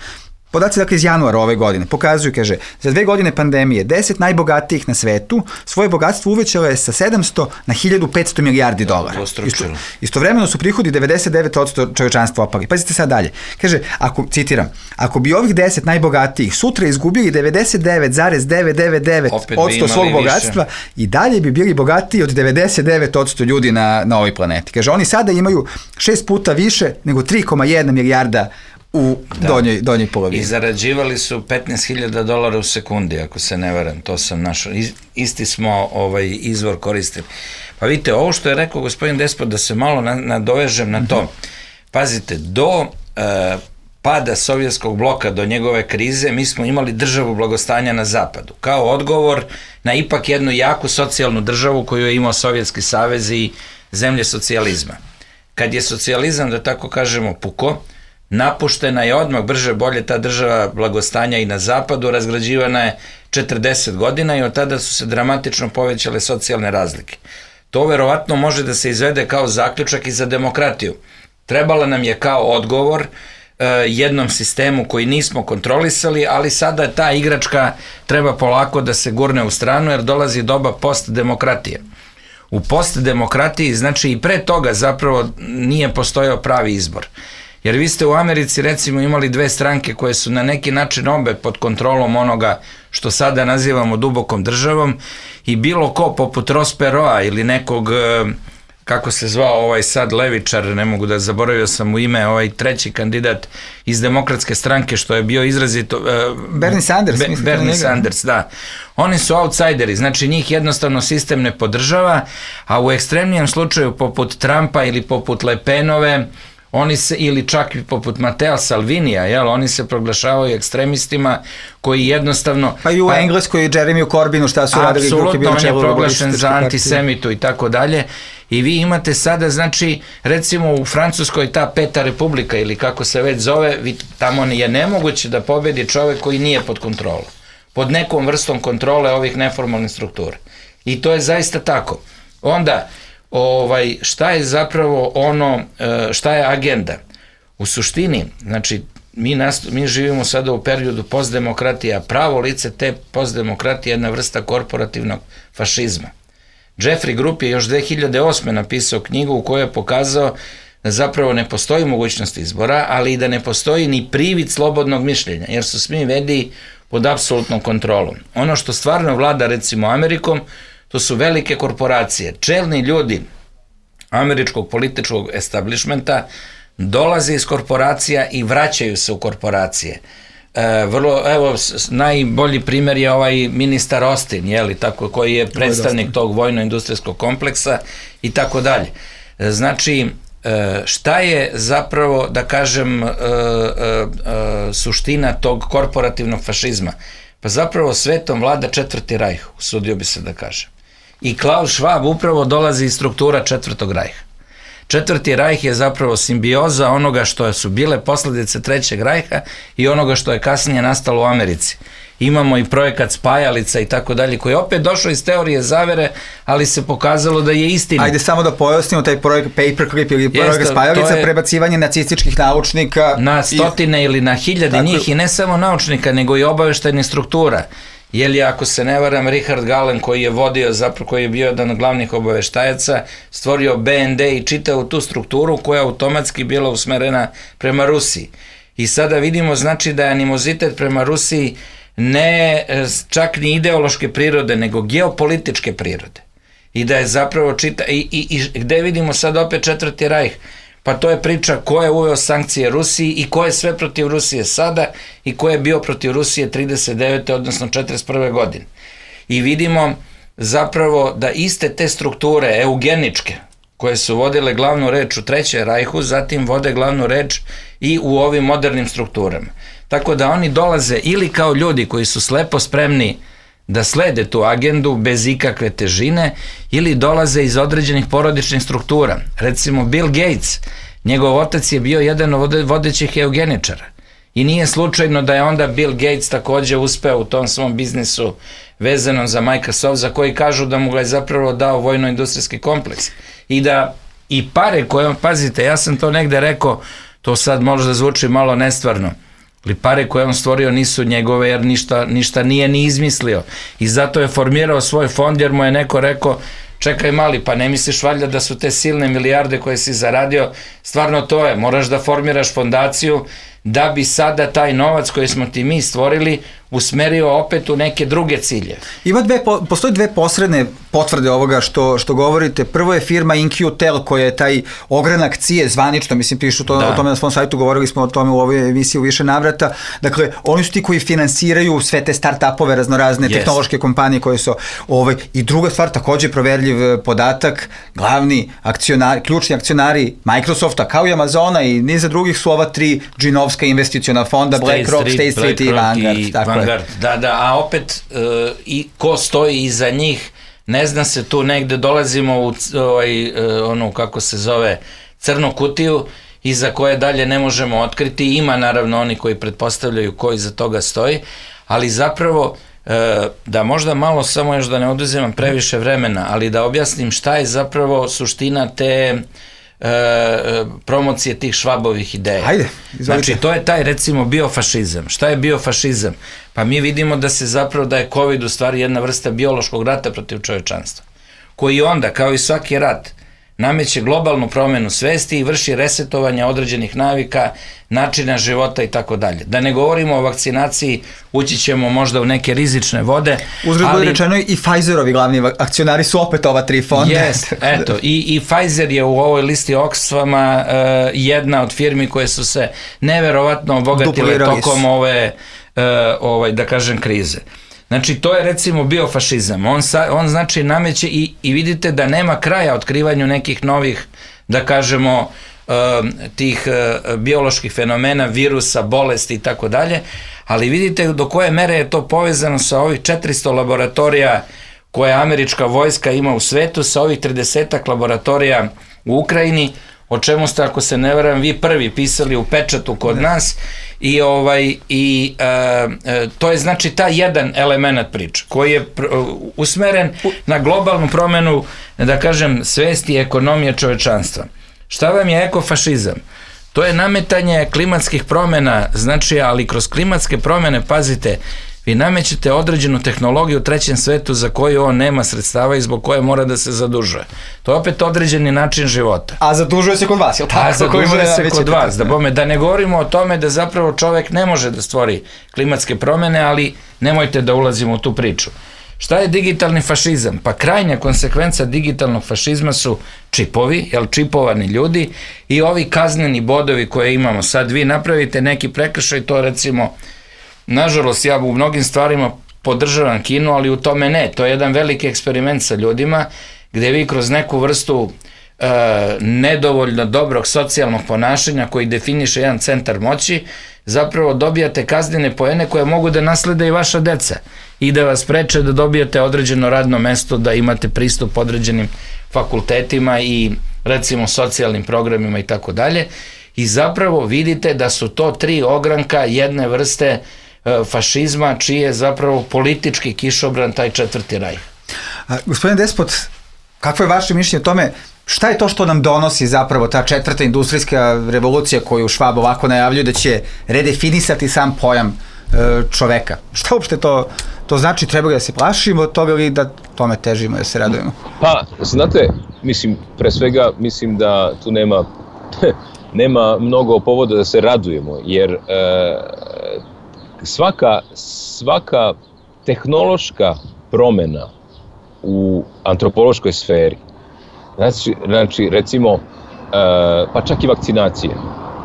Podaci, dakle, iz januara ove godine pokazuju, kaže, za dve godine pandemije deset najbogatijih na svetu svoje bogatstvo uvećalo je sa sedamsto na hiljadu petsto milijardi dolara. Isto, istovremeno su prihodi devedeset devet posto čovečanstva opali. Pazite sad dalje. Kaže, ako, citiram, ako bi ovih deset najbogatijih sutra izgubili devedeset devet zarez devetsto devedeset devet posto svog bogatstva, više. I dalje bi bili bogatiji od devedeset devet posto ljudi na, na ovoj planeti. Kaže, oni sada imaju šest puta više nego tri zarez jedna milijarda u da. donjoj, donjoj polovini. I zarađivali su petnaest hiljada dolara u sekundi, ako se ne varam, to sam našao. Isti smo ovaj izvor koristili. Pa vidite, ovo što je rekao gospodin Despot, da se malo nadovežem na to. Pazite, do uh, pada sovjetskog bloka, do njegove krize, mi smo imali državu blagostanja na zapadu, kao odgovor na ipak jednu jaku socijalnu državu koju je imao Sovjetski savez i zemlje socijalizma. Kad je socijalizam, da tako kažemo, puko, napuštena je odmah brže bolje ta država blagostanja i na zapadu, razgrađivana je četrdeset godina i od tada su se dramatično povećale socijalne razlike. To verovatno može da se izvede kao zaključak i za demokratiju. Trebala nam je kao odgovor uh, jednom sistemu koji nismo kontrolisali, ali sada ta igračka treba polako da se gurne u stranu jer dolazi doba postdemokratije. U postdemokratiji, znači i pre toga zapravo nije postojao pravi izbor. Jer vi ste u Americi recimo imali dve stranke koje su na neki način obe pod kontrolom onoga što sada nazivamo dubokom državom i bilo ko poput Ross Perota ili nekog, kako se zvao ovaj sad levičar, ne mogu da zaboravio sam mu ime, ovaj treći kandidat iz demokratske stranke što je bio izrazito... Uh, Bernie Sanders. Be, Bernie Sanders, da. Oni su outsideri, znači njih jednostavno sistem ne podržava, a u ekstremnijem slučaju poput Trumpa ili poput Le Penove, oni se, ili čak i poput Matea Salvinija, jel, oni se proglašavaju ekstremistima koji jednostavno... Pa i u pa, Engleskoj i Jeremiju Corbinu šta su radili? Apsolutno, on je proglašen za antisemitu i tako dalje. I vi imate sada, znači, recimo u Francuskoj ta Peta republika ili kako se već zove, vi, tamo je nemoguće da pobedi čovek koji nije pod kontrolom. Pod nekom vrstom kontrole ovih neformalnih struktura. I to je zaista tako. Onda... Ovaj, šta je zapravo ono, šta je agenda? U suštini, znači, mi, nasto, mi živimo sada u periodu postdemokratije, a pravo lice te postdemokratije je jedna vrsta korporativnog fašizma. Jeffrey Group je još dve hiljade osme napisao knjigu u kojoj je pokazao da zapravo ne postoji mogućnost izbora, ali i da ne postoji ni privid slobodnog mišljenja, jer su svi mediji pod apsolutnom kontrolom. Ono što stvarno vlada, recimo, Amerikom, to su velike korporacije. Čelni ljudi američkog političkog establishmenta dolaze iz korporacija i vraćaju se u korporacije. E, vrlo, evo, najbolji primjer je ovaj ministar Austin, jeli, tako, koji je predstavnik tog vojno-industrijskog kompleksa i tako dalje. Znači, šta je zapravo, da kažem, suština tog korporativnog fašizma? Pa zapravo svetom vlada četvrti rajh, usudio bi se da kažem. I Klaus Schwab upravo dolazi iz struktura četvrtog rajha. Četvrti rajh je zapravo simbioza onoga što su bile posledice trećeg rajha i onoga što je kasnije nastalo u Americi. Imamo i projekat spajalica i tako dalje, koji je opet došao iz teorije zavere, ali se pokazalo da je istina. Ajde samo da pojasnimo taj projekt Paperclip ili projekat Jeste, spajalica, je prebacivanje nacističkih naučnika. Na stotine i, ili na hiljade njih i ne samo naučnika, nego i obaveštajnih struktura. Jer je, ako se ne varam, Richard Gallen, koji je vodio, zapravo koji je bio jedan od glavnih obaveštajaca, stvorio B N D i čitao tu strukturu koja automatski bila usmerena prema Rusiji. I sada vidimo, znači, da je animozitet prema Rusiji ne čak ni ideološke prirode, nego geopolitičke prirode. I da je zapravo čita... I, i, i gde vidimo sad opet četvrti rajh? Pa to je priča ko je uveo sankcije Rusiji i ko je sve protiv Rusije sada i ko je bio protiv Rusije trideset devete odnosno četrdeset prve godine. I vidimo zapravo da iste te strukture eugeničke koje su vodile glavnu reč u trećem rajhu, zatim vode glavnu reč i u ovim modernim strukturama. Tako da oni dolaze ili kao ljudi koji su slepo spremni da slede tu agendu bez ikakve težine, ili dolaze iz određenih porodičnih struktura. Recimo Bill Gates, njegov otac je bio jedan od vodećih eugeničara. I nije slučajno da je onda Bill Gates takođe uspeo u tom svom biznisu vezanom za Microsoft, za koji kažu da mu ga je zapravo dao vojno-industrijski kompleks. I da i pare koje on, pazite, ja sam to negde rekao, to sad možda zvuči malo nestvarno, ali pare koje on stvorio nisu njegove, jer ništa, ništa nije ni izmislio. I zato je formirao svoj fond, jer mu je neko rekao, čekaj mali, pa ne misliš valjda da su te silne milijarde koje si zaradio, stvarno to je, moraš da formiraš fondaciju da bi sada taj novac koji smo ti mi stvorili usmerio opet u neke druge cilje. Ima dve, postoji dve posredne potvrde ovoga što, što govorite. Prvo je firma InQtel koja je taj ogranak C I E zvanično, mislim pišu to, o tome na svom sajtu, govorili smo o tome u ovoj emisiji u više navrata. Dakle, oni su ti koji finansiraju sve te start-upove, raznorazne yes. tehnološke kompanije koje su ovaj, i druga stvar, takođe proverljiv podatak, glavni akcionari, ključni akcionari Microsofta kao i Amazona i niza drugih su ova tri džinovska investiciona fonda, BlackRock, State Street i Vanguard. Tako Vanguard. Da, da, a opet uh, i ko stoji iza njih, ne zna se, tu negde dolazimo u ovaj, uh, onu, kako se zove, crnu kutiju, iza koje dalje ne možemo otkriti. Ima naravno oni koji pretpostavljaju ko iza toga stoji, ali zapravo uh, da možda malo samo još da ne oduzimam previše vremena, ali da objasnim šta je zapravo suština te E, promocije tih Švabovih ideja. Ajde, izvolite. Znači, to je taj, recimo, biofašizam. Šta je biofašizam? Pa mi vidimo da se zapravo, da je COVID u stvari jedna vrsta biološkog rata protiv čovečanstva, koji onda, kao i svaki rat, nameće globalnu promenu svesti i vrši resetovanje određenih navika, načina života i tako dalje. Da ne govorimo o vakcinaciji, ući ćemo možda u neke rizične vode. Uzgled ali rečeno i Pfizerovi glavni akcionari su opet ova tri fonda. Jest, eto, i, i Pfizer je u ovoj listi Oxfama uh, jedna od firmi koje su se neverovatno obogatile tokom ove, uh, ovaj, da kažem, krize. Znači, to je recimo biofašizam. On, sa, on znači nameće i, i vidite da nema kraja otkrivanju nekih novih, da kažemo, uh, tih uh, bioloških fenomena, virusa, bolesti i tako dalje, ali vidite do koje mere je to povezano sa ovih četiristo laboratorija koje američka vojska ima u svetu, sa ovih tridesetak laboratorija u Ukrajini, o čemu ste, ako se ne varam, vi prvi pisali u pečatu kod nas i ovaj i uh, to je znači taj jedan element priče koji je pr usmeren na globalnu promenu, da kažem, svesti i ekonomije čovečanstva. Šta vam je ekofašizam? To je nametanje klimatskih promena, znači, ali kroz klimatske promene, pazite, vi namećete određenu tehnologiju u trećem svetu za koju on nema sredstava i zbog koje mora da se zadužuje. To je opet određeni način života. A zadužuje se kod vas, je li tako? A zadužuje se kod vas, da bome, da ne govorimo o tome da zapravo čovek ne može da stvori klimatske promene, ali nemojte da ulazimo u tu priču. Šta je digitalni fašizam? Pa krajnja konsekvenca digitalnog fašizma su čipovi, jel, čipovani ljudi i ovi kazneni bodovi koje imamo. Sad vi napravite neki prekršaj, to recimo, nažalost, ja u mnogim stvarima podržavam Kinu, ali u tome ne. To je jedan veliki eksperiment sa ljudima, gde vi kroz neku vrstu e, nedovoljno dobrog socijalnog ponašanja koji definiše jedan centar moći, zapravo dobijate kaznene poene koje mogu da naslede i vaša deca i da vas preče da dobijete određeno radno mesto, da imate pristup određenim fakultetima i recimo socijalnim programima i tako dalje. I zapravo vidite da su to tri ogranka jedne vrste fašizma, čiji je zapravo politički kišobran taj četvrti raj. A, gospodin Despot, kakvo je vaše mišljenje o tome, šta je to što nam donosi zapravo ta četvrta industrijska revolucija koju Švab ovako najavljuje da će redefinisati sam pojam e, čoveka? Šta uopšte to, to znači? Treba da se plašimo od toga ili da tome težimo, da se radujemo? Pa, znate, mislim, pre svega, mislim da tu nema nema mnogo povoda da se radujemo, jer e, svaka, svaka tehnološka promena u antropološkoj sferi, znači, znači recimo, e, pa čak i vakcinacija,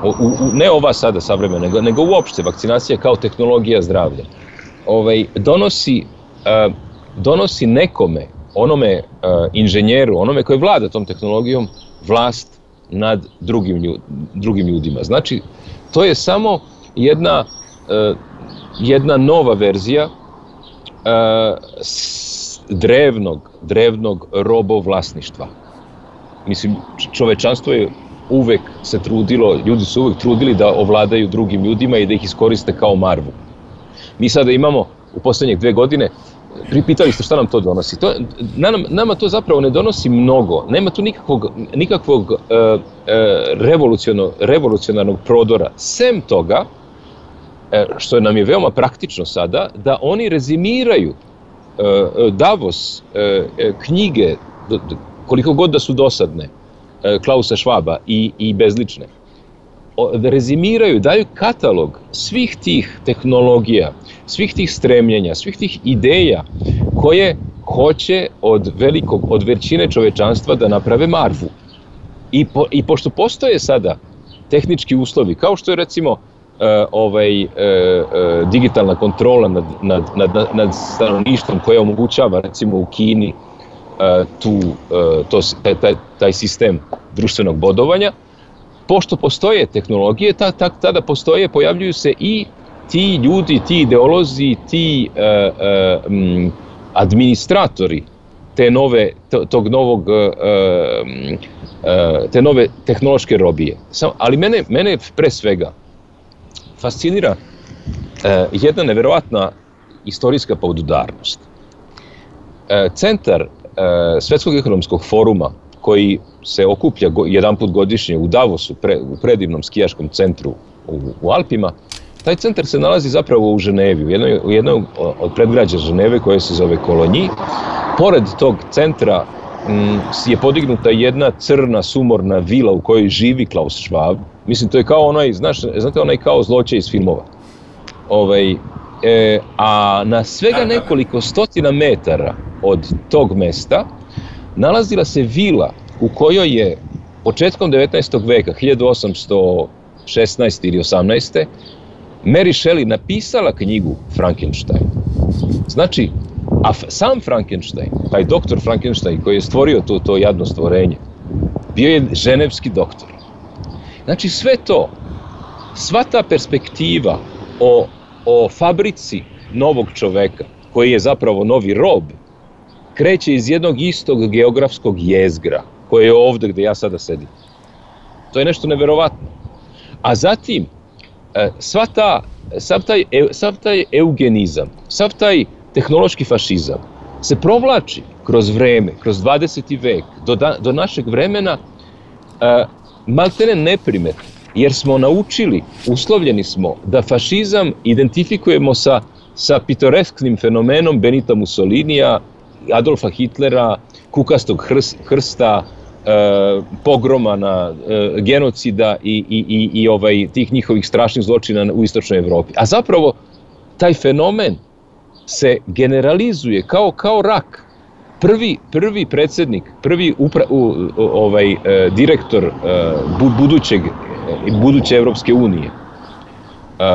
u, u, ne ova sada savremena, nego, nego uopšte vakcinacija kao tehnologija zdravlja, ovaj, donosi, e, donosi nekome, onome e, inženjeru, onome koji vlada tom tehnologijom, vlast nad drugim, ljud, drugim ljudima. Znači, to je samo jedna jedna nova verzija drevnog, drevnog robovlasništva. Mislim, čovečanstvo je uvek se trudilo, ljudi su uvek trudili da ovladaju drugim ljudima i da ih iskoriste kao marvu. Mi sada imamo u poslednjih dve godine, pripitali ste šta nam to donosi. To, nam, nama to zapravo ne donosi mnogo. Nema tu nikakvog, nikakvog uh, uh, revolucionarnog, revolucionarnog prodora. Sem toga, uh, što nam je veoma praktično sada, da oni rezimiraju uh, Davos, uh, knjige, koliko god da su dosadne, uh, Klausa Schwaba i, i bezlične. Da rezimiraju, daju katalog svih tih tehnologija, svih tih stremljenja, svih tih ideja koje hoće od velikog, od većine čovečanstva da naprave marvu. I, po, i pošto postoje sada tehnički uslovi, kao što je recimo uh, ovaj, uh, uh, digitalna kontrola nad, nad, nad, nad stanovništvom koja omogućava recimo u Kini uh, tu, uh, to, taj, taj, taj sistem društvenog bodovanja, pošto postoje tehnologije, ta, ta, tada postoje, pojavljuju se i ti ljudi, ti ideolozi, ti uh, uh, um, administratori te nove, to, tog novog, uh, uh, te nove tehnološke robije. Sam, ali mene, mene pre svega fascinira uh, jedna neverovatna istorijska podudarnost. Uh, centar uh, Svetskog ekonomskog foruma, koji se okuplja go, jedan put godišnje u Davosu, pre, u predivnom skijaškom centru u, u Alpima, taj centar se nalazi zapravo u Ženevi, u jednoj, u jednoj od predgrađa Ženeve koje se zove Kolonji. Pored tog centra m, je podignuta jedna crna, sumorna vila u kojoj živi Klaus Schwab. Mislim, to je kao onaj, znaš, znate, onaj kao zločaj iz filmova. Ovaj, e, a na svega nekoliko stotina metara od tog mesta nalazila se vila u kojoj je početkom devetnaestog veka, hiljadu osamsto šesnaeste ili osamnaeste. Mary Shelley napisala knjigu Frankenstein. Znači, a sam Frankenstein, taj doktor Frankenstein koji je stvorio to, to jadno stvorenje, bio je ženevski doktor. Znači, sve to, sva ta perspektiva o, o fabrici novog čoveka, koji je zapravo novi rob, kreće iz jednog istog geografskog jezgra, koje je ovde gde ja sada sedim. To je nešto neverovatno. A zatim, sva ta, sav, taj, sav taj eugenizam, sav taj tehnološki fašizam se provlači kroz vreme, kroz dvadeseti vek, do, da, do našeg vremena, uh, maltene neprimetno, jer smo naučili, uslovljeni smo da fašizam identifikujemo sa, sa pitoresknim fenomenom Benita Mussolinija, Adolfa Hitlera, kukastog hrsta, e, pogroma, na, e, genocida i, i, i, i ovaj, tih njihovih strašnih zločina u istočnoj Evropi. A zapravo taj fenomen se generalizuje kao, kao rak. Prvi, prvi predsjednik, prvi upra, u, ovaj, e, direktor e, budućeg, buduće Evropske unije, e,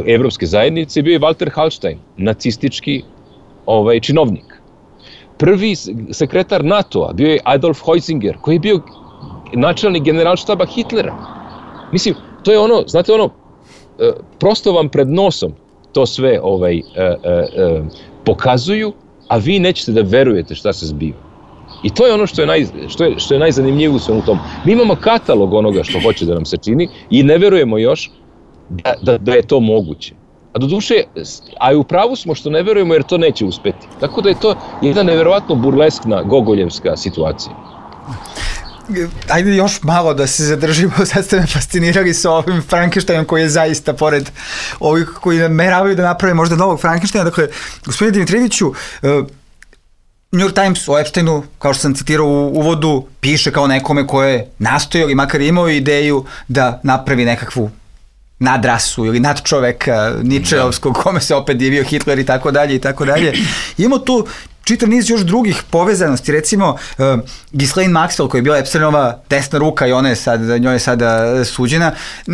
e, Evropske zajednice, bio je Walter Hallstein, nacistički ovaj, činovnik. Prvi sekretar NATO-a bio je Adolf Heusinger, koji je bio načelnik generalštaba Hitlera. Mislim, to je ono, znate ono, prosto vam pred nosom to sve ovaj, e, e, pokazuju, a vi nećete da verujete šta se zbiva. I to je ono što je, naj, što je, što je najzanimljivije u svemu tomu. Mi imamo katalog onoga što hoće da nam se čini i ne verujemo još da, da, da je to moguće. A do duše, a i u pravu smo što ne verujemo jer to neće uspeti. Tako da je to jedna neverovatno burleskna, gogoljevska situacija. Ajde još malo da se zadržimo, sad ste me fascinirali sa ovim Frankensteinom koji je zaista pored ovih koji nameravaju da naprave možda novog Frankensteina. Dakle, gospodine Dimitrijeviću, New York Times o Epsteinu, kao što sam citirao u uvodu, piše kao nekome koje je nastojao ili makar imao ideju da napravi nekakvu nadrasu ili nadčoveka Ničeovskog, kome se opet divio Hitler i tako dalje i tako dalje. Imamo tu čitav niz još drugih povezanosti, recimo uh, Ghislaine Maxwell koja je bila Epsteinova desna ruka i ona je sad, njoj je sada suđena,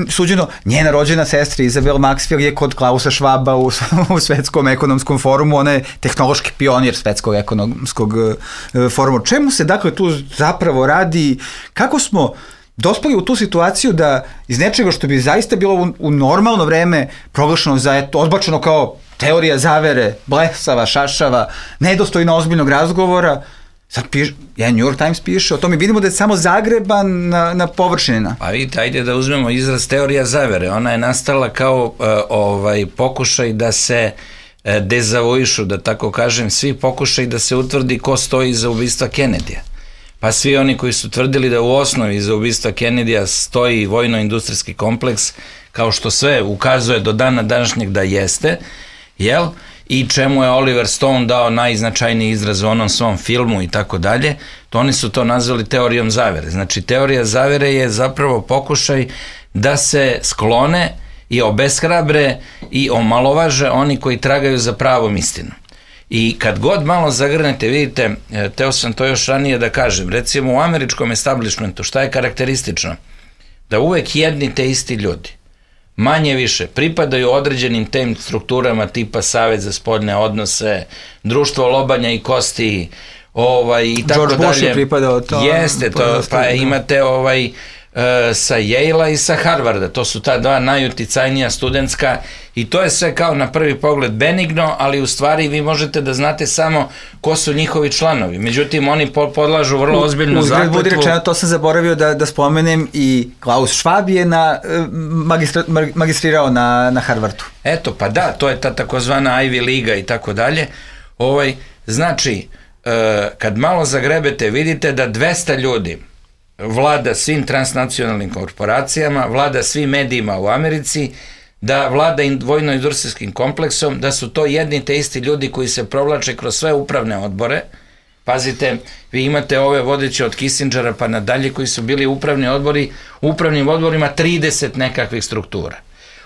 suđeno, njena rođena sestra Isabel Maxwell je kod Klausa Schwaba u, u Svetskom ekonomskom forumu, ona je tehnološki pionir Svetskog ekonomskog uh, foruma. Čemu se dakle tu zapravo radi, kako smo dospeli u tu situaciju da iz nečega što bi zaista bilo u, u normalno vreme proglašeno za eto, odbačeno kao teorija zavere, blesava, šašava, nedostojno ozbiljnog razgovora, sad piše, jedan New York Times piše o tome, vidimo da je samo zagreban na, na površinina. Pa vidite, ajde da uzmemo izraz teorija zavere, ona je nastala kao uh, ovaj pokušaj da se uh, dezavuišu, da tako kažem, svi pokušaj da se utvrdi ko stoji iza ubistva Kennedyja. Pa svi oni koji su tvrdili da u osnovi iza ubistva Kennedyja stoji vojno-industrijski kompleks, kao što sve ukazuje do dana današnjeg da jeste, jel? I čemu je Oliver Stone dao najznačajniji izraz u onom svom filmu i tako dalje, to oni su to nazvali teorijom zavere. Znači, teorija zavere je zapravo pokušaj da se sklone i obeshrabre i omalovaže oni koji tragaju za pravom istinom. I kad god malo zagrnete, vidite, teo sam to još ranije da kažem, recimo u američkom establishmentu, šta je karakteristično? Da uvek jedni te isti ljudi, manje više, pripadaju određenim tem strukturama tipa Savet za spoljne odnose, Društvo lobanja i kosti, ovaj, i tako George dalje. Bush je pripadao to. Jeste, to, pa imate ovaj, sa Yale-a i sa Harvarda, to su ta dva najuticajnija studentska i to je sve kao na prvi pogled benigno, ali u stvari vi možete da znate samo ko su njihovi članovi, međutim oni podlažu vrlo ozbiljnu zakletvu. Uzgled budi rečeno, to sam zaboravio da, da spomenem, i Klaus Schwab je na, magistra, magistrirao na, na Harvardu. Eto, pa da, to je ta takozvana Ivy Liga i tako dalje. Ovaj, znači, kad malo zagrebete, vidite da dvesta ljudi vlada svim transnacionalnim korporacijama, vlada svim medijima u Americi, da vlada vojno-industrijskim kompleksom, da su to jedni te isti ljudi koji se provlače kroz sve upravne odbore. Pazite, vi imate ove vodeće od Kissingera pa nadalje koji su bili upravni odbori, u upravnim odborima trideset nekakvih struktura.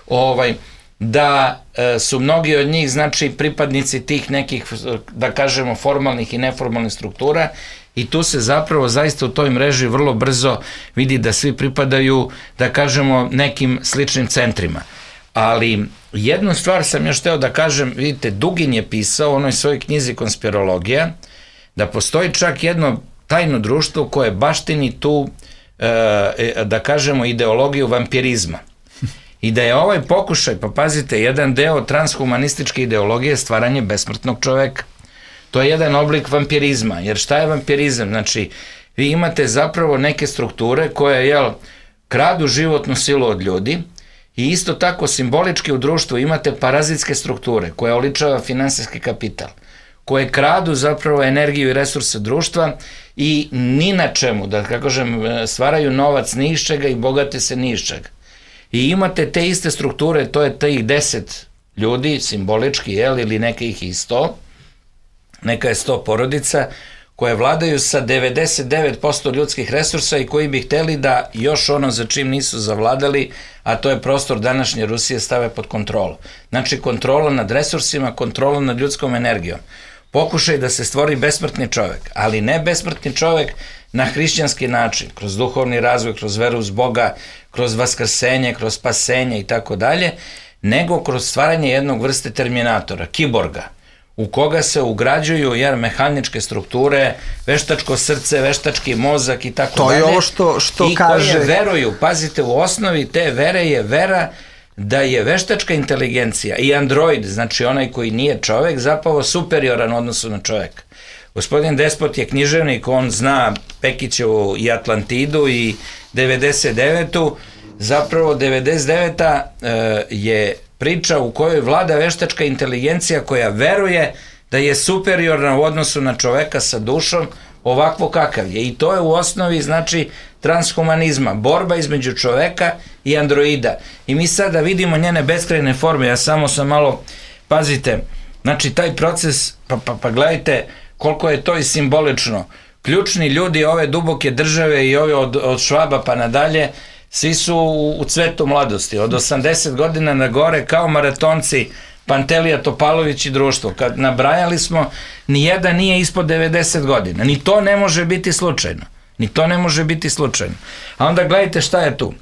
Ovaj, da e, su mnogi od njih, znači, pripadnici tih nekih, da kažemo, formalnih i neformalnih struktura, i tu se zapravo zaista u toj mreži vrlo brzo vidi da svi pripadaju, da kažemo, nekim sličnim centrima. Ali jednu stvar sam još hteo da kažem, vidite, Dugin je pisao u onoj svojoj knjizi Konspirologija, da postoji čak jedno tajno društvo koje baštini tu, e, da kažemo, ideologiju vampirizma. I da je ovaj pokušaj, pa pazite, jedan deo transhumanističke ideologije stvaranje besmrtnog čoveka. To je jedan oblik vampirizma, jer šta je vampirizam? Znači, vi imate zapravo neke strukture koje, jel, kradu životnu silu od ljudi i isto tako simbolički u društvu imate parazitske strukture koje oličava finansijski kapital, koje kradu zapravo energiju i resurse društva i ni na čemu, da kako kažem, stvaraju novac ni iz čega i bogate se ni iz čega. I imate te iste strukture, to je tih deset ljudi, simbolički, jel, ili neka ih i sto, neka je sto porodica, koje vladaju sa devedeset devet posto ljudskih resursa i koji bi hteli da još ono za čim nisu zavladali, a to je prostor današnje Rusije, stave pod kontrolu. Znači, kontrola nad resursima, kontrola nad ljudskom energijom. Pokušaj da se stvori besmrtni čovek, ali ne besmrtni čovek na hrišćanski način, kroz duhovni razvoj, kroz veru uz Boga, kroz vaskrsenje, kroz spasenje i tako dalje, nego kroz stvaranje jednog vrste terminatora, kiborga, u koga se ugrađuju jer mehaničke strukture, veštačko srce, veštački mozak i tako dalje. To je ovo što, što i kaže... I koje veruju, pazite, u osnovi te vere je vera da je veštačka inteligencija i android, znači onaj koji nije čovek, zapravo superioran u odnosu na čoveka. Gospodin Despot je književnik, on zna Pekićevu i Atlantidu i devedeset devetu, zapravo devedeset deveta e, je priča u kojoj vlada veštačka inteligencija koja veruje da je superiorna u odnosu na čoveka sa dušom ovakvo kakav je. I to je u osnovi, znači, transhumanizma, borba između čoveka i androida. I mi sada vidimo njene beskrajne forme, ja samo sam malo, pazite, znači taj proces, pa, pa, pa gledajte koliko je to i simbolično. Ključni ljudi ove duboke države i ove od, od Švaba pa nadalje, svi su u, u cvetu mladosti, od osamdeset godina na gore kao maratonci, Pantelija Topalović i društvo. Kad nabrajali smo, nijedan nije ispod devedeset godina. Ni to ne može biti slučajno. Ni to ne može biti slučajno. A onda gledajte šta je tu.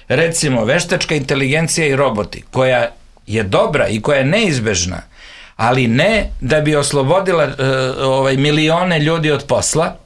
Recimo, veštačka inteligencija i roboti, koja je dobra i koja je neizbežna, ali ne da bi oslobodila uh, ovaj, milione ljudi od posla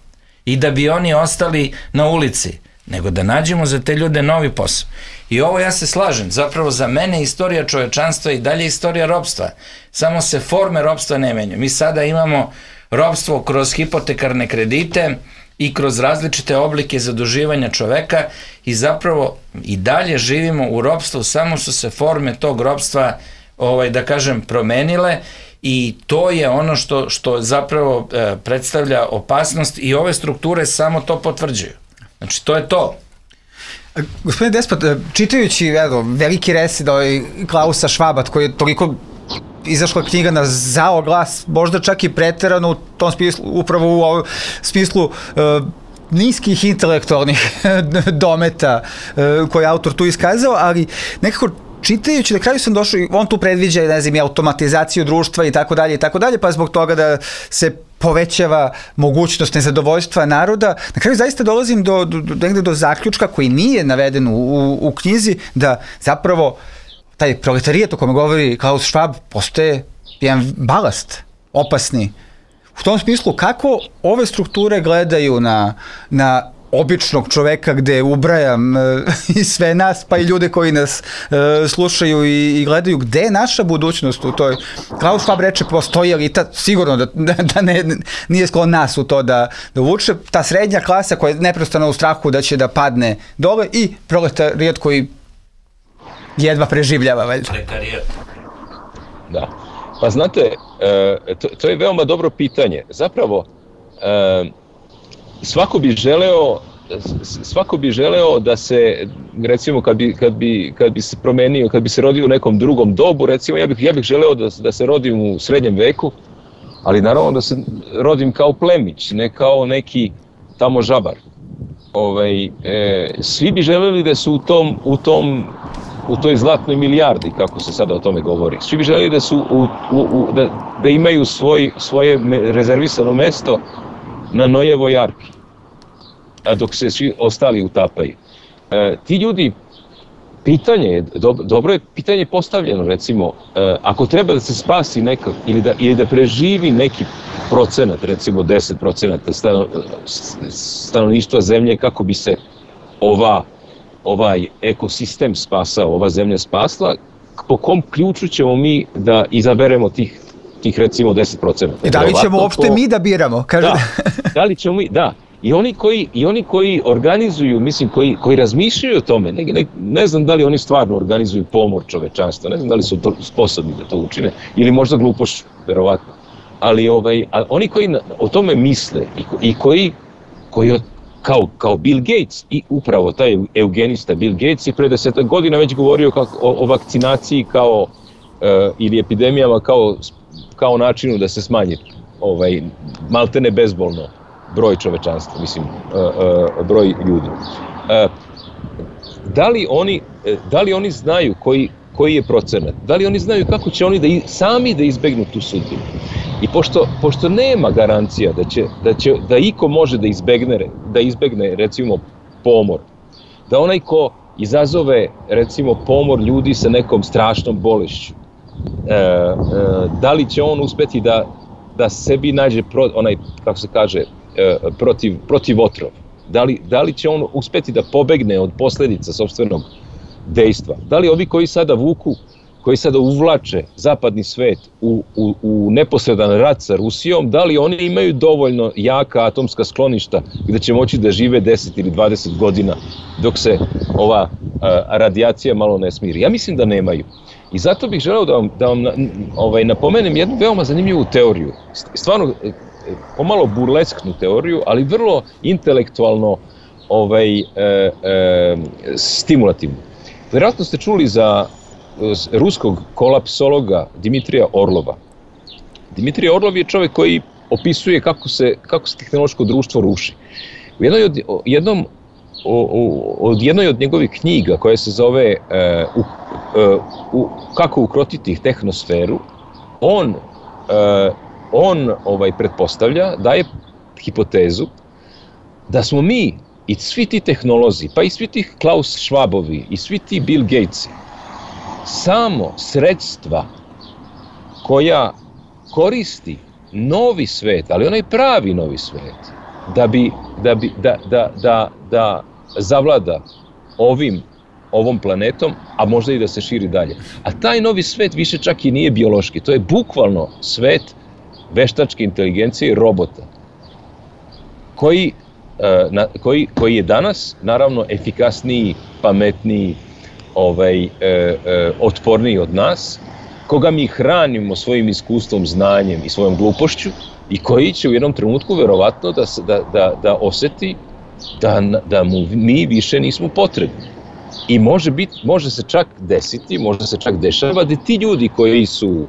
i da bi oni ostali na ulici, nego da nađemo za te ljude novi posao. I ovo ja se slažem, zapravo za mene istorija čovečanstva i dalje istorija ropstva. Samo se forme ropstva ne menjaju. Mi sada imamo ropstvo kroz hipotekarne kredite i kroz različite oblike zaduživanja čoveka i zapravo i dalje živimo u ropstvu, samo su se forme tog ropstva, ovaj, da kažem, promenile i to je ono što, što zapravo e, predstavlja opasnost i ove strukture samo to potvrđuju. Znači, to je to. Gospodine Despot, čitajući evo, veliki resid ovaj Klausa Švaba, koji je toliko izašla knjiga na zao glas, možda čak i preterano u tom smislu, upravo u ovom smislu uh, niskih intelektualnih dometa uh, koje je autor tu iskazao, ali nekako čitajući, na kraju sam došao, on tu predviđa, ne znam, i automatizaciju društva i tako dalje i tako dalje, pa zbog toga da se povećava mogućnost nezadovoljstva naroda. Na kraju zaista dolazim do, do, do, do zaključka koji nije naveden u, u, u knjizi, da zapravo taj proletarijet o kome govori Klaus Schwab postaje jedan balast, opasni. U tom smislu, kako ove strukture gledaju na, na običnog čoveka, gde ubrajam e, i sve nas, pa i ljude koji nas e, slušaju i, i gledaju, gde je naša budućnost u toj. Klaus Schwab reče, postoji elita, sigurno da, da, da ne, nije sklon nas u to da, da uvuče, ta srednja klasa koja je neprestano u strahu da će da padne dole i proletarijat koji jedva preživljava, valjda. Proletarijat. Da. Pa znate, e, to, to je veoma dobro pitanje. Zapravo, e, svako bi želeo svako bi želeo da se, recimo, kad bi, kad bi, kad bi se promenio, kad bi se rodio u nekom drugom dobu, recimo, ja bih, ja bih želeo da, da se rodim u srednjem veku, ali naravno da se rodim kao plemić, ne kao neki tamo žabar. Ovaj, e, svi bi želeli da su u tom, u tom u toj zlatnoj milijardi, kako se sada o tome govori. Svi bi želeli da su u, u, u, da, da imaju svoj, svoje rezervisano mesto na Nojevoj arki, a dok se svi ostali utapaju. E, ti ljudi, pitanje je, do, dobro je pitanje postavljeno, recimo, e, ako treba da se spasi neka, ili da, ili da preživi neki procenat, recimo deset procenata stano, stanovništva zemlje, kako bi se ova ovaj ekosistem spasao, ova zemlja spasla, po kom ključu ćemo mi da izaberemo tih, tih recimo deset procenata. I da li ćemo uopšte to... mi da biramo? Kaže... Da, da li ćemo mi, da. I oni koji, i oni koji organizuju, mislim, koji, koji razmišljaju o tome, ne, ne, ne znam da li oni stvarno organizuju pomor čovečanstva, ne znam da li su to sposobni da to učine, ili možda glupoš, verovatno. Ali ovaj, a oni koji na, o tome misle i, i koji, koji Kao, kao Bill Gates, i upravo taj eugenista Bill Gates je pre desetak godina već govorio kako, o, o vakcinaciji kao, e, ili epidemijama kao, kao načinu da se smanji ovaj, maltene bezbolno broj čovečanstva, mislim, e, e, broj ljudi. E, da, li oni, da li oni znaju koji, koji je procenat? Da li oni znaju kako će oni da i, sami da izbegnu tu sudbinu? I pošto, pošto nema garancija da će, da će, da iko može da izbegne, da izbegne recimo pomor, da onaj ko izazove recimo pomor ljudi sa nekom strašnom bolešću, e, e, da li će on uspeti da, da sebi nađe pro, onaj, kako se kaže, e, protiv, protiv otrov, da li, da li će on uspeti da pobegne od posledica sopstvenog dejstva, da li ovi koji sada vuku, koji sada uvlače zapadni svet u, u, u neposredan rat sa Rusijom, da li oni imaju dovoljno jaka atomska skloništa gde će moći da žive deset ili dvadeset godina dok se ova a, radijacija malo ne smiri? Ja mislim da nemaju. I zato bih želeo da vam, da vam ovaj, napomenem jednu veoma zanimljivu teoriju. Stvarno pomalo burlesknu teoriju, ali vrlo intelektualno ovaj, e, e, stimulativnu. Vjerojatno ste čuli za ruskog kolapsologa Dimitrija Orlova. Dimitrij Orlov je čovjek koji opisuje kako se, kako se tehnološko društvo ruši. U jednoj od, jednom, o, o, od jednoj od njegovih knjiga koja se zove uh, u, uh, u, Kako ukrotiti tehnosferu, on, uh, on ovaj, pretpostavlja, daje hipotezu da smo mi i svi ti tehnolozi, pa i svi ti Klaus Schwabovi i svi ti Bill Gatesi, samo sredstva koja koristi novi svet, ali onaj pravi novi svet, da bi, da bi, da, da, da, da zavlada ovim, ovom planetom, a možda i da se širi dalje. A taj novi svet više čak i nije biološki, to je bukvalno svet veštačke inteligencije i robota, koji, na, koji, koji je danas, naravno, efikasniji, pametniji, ovaj, e, e, otporniji od nas, koga mi hranimo svojim iskustvom, znanjem i svojom glupošću i koji će u jednom trenutku verovatno da, da, da, da oseti da, da mu mi više nismo potrebni. I može, bit, može se čak desiti, može se čak dešava da ti ljudi koji su,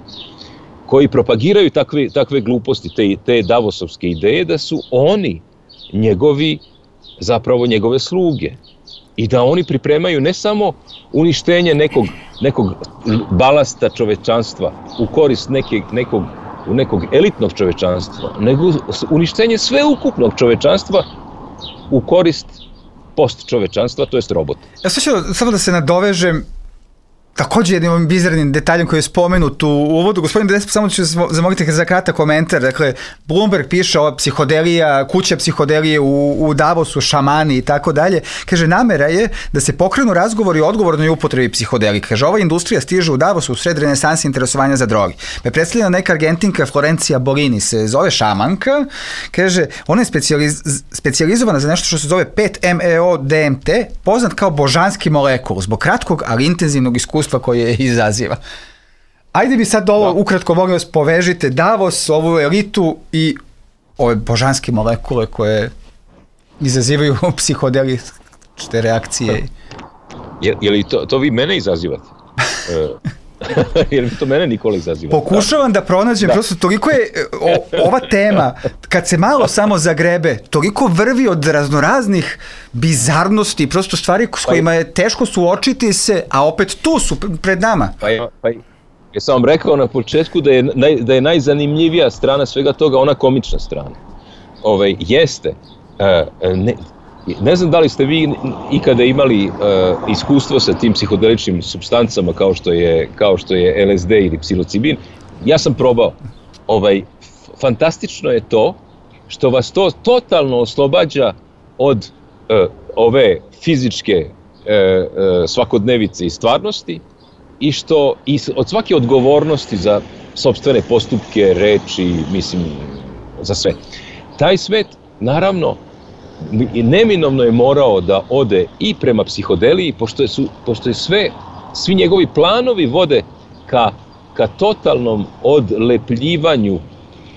koji propagiraju takve, takve gluposti, te, te davosovske ideje, da su oni njegovi, zapravo njegove sluge. I da oni pripremaju ne samo uništenje nekog, nekog balasta čovečanstva u korist neke, nekog, nekog elitnog čovečanstva, nego uništenje sveukupnog čovečanstva u korist post čovečanstva, to jest robota. Ja sad ću samo da se nadovežem takođe jednim bizarnim detaljem koji je spomenut u uvodu. Gospodin Despo, samo ću zamoliti za kratak komentar. Dakle, Bloomberg piše ova psihodelija, kuća psihodelije u, u Davosu, šamani i tako dalje. Kaže, namera je da se pokrenu razgovori o odgovornoj upotrebi psihodelike. Kaže, ova industrija stiže u Davosu u sred renesansi interesovanja za drogi. Me predstavljena neka Argentinka Florencija Bolini, se zove šamanka. Kaže, ona je specijaliz, specijalizovana za nešto što se zove pet M E O D M T, poznat kao božanski molekul, zbog kratkog, ali intenzivnog iskustva koje izaziva. Ajde bi sad ovo da. ukratko, molim vas, povežite Davos, ovu elitu i ove božanske molekule koje izazivaju psihodeličke reakcije. Je, je li to, to vi mene izazivate? Je li to mene Nikola izaziva? Pokušavam da, da pronađem, da. prosto toliko je o, ova tema, kad se malo samo zagrebe, toliko vrvi od raznoraznih bizarnosti, prosto stvari s kojima je teško suočiti se, a opet tu su pred nama. Pa ja, pa ja sam vam rekao na početku da je, naj, da je najzanimljivija strana svega toga ona komična strana. Ove, jeste, uh, ne, Ne znam da li ste vi ikada imali uh, iskustvo sa tim psihodeličnim supstancama kao što je, kao što je L S D ili psilocibin. Ja sam probao. Ovaj, fantastično je to što vas to totalno oslobađa od uh, ove fizičke uh, uh, svakodnevice i stvarnosti i što i od svake odgovornosti za sopstvene postupke, reči, mislim, za sve. Taj svet, naravno, neminovno je morao da ode i prema psihodeliji, pošto je, su, pošto je sve, svi njegovi planovi vode ka, ka totalnom odlepljivanju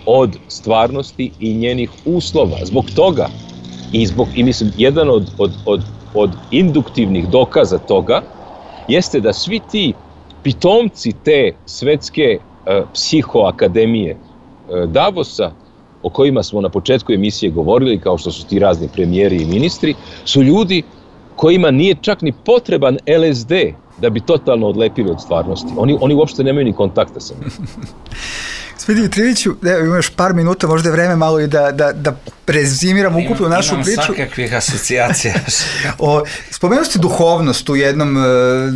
od stvarnosti i njenih uslova. Zbog toga, i, zbog, i mislim, jedan od, od, od, od induktivnih dokaza toga, jeste da svi ti pitomci te svetske uh, psihoakademije uh, Davosa, o kojima smo na početku emisije govorili, kao što su ti razni premijeri i ministri, su ljudi kojima nije čak ni potreban L S D da bi totalno odlepili od stvarnosti. Oni, oni uopšte nemaju ni kontakta sa njim. Gospodine Triviću, evo imaš par minuta, možda je vreme malo i da, da, da rezimiram ukupnu našu imam priču. Imam svakakvih asocijacija. o, spomenuo ste duhovnost u jednom uh,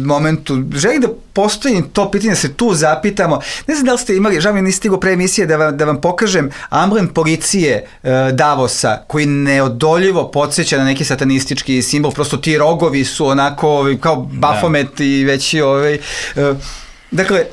momentu. Želim da postavim to pitanje, da se tu zapitamo. Ne znam da li ste imali, žao mi nisi stigao pre emisije da vam, da vam pokažem amblem policije uh, Davosa, koji neodoljivo podsjeća na neki satanistički simbol. Prosto ti rogovi su onako kao Bafomet da. i veći ovaj... Uh, dakle,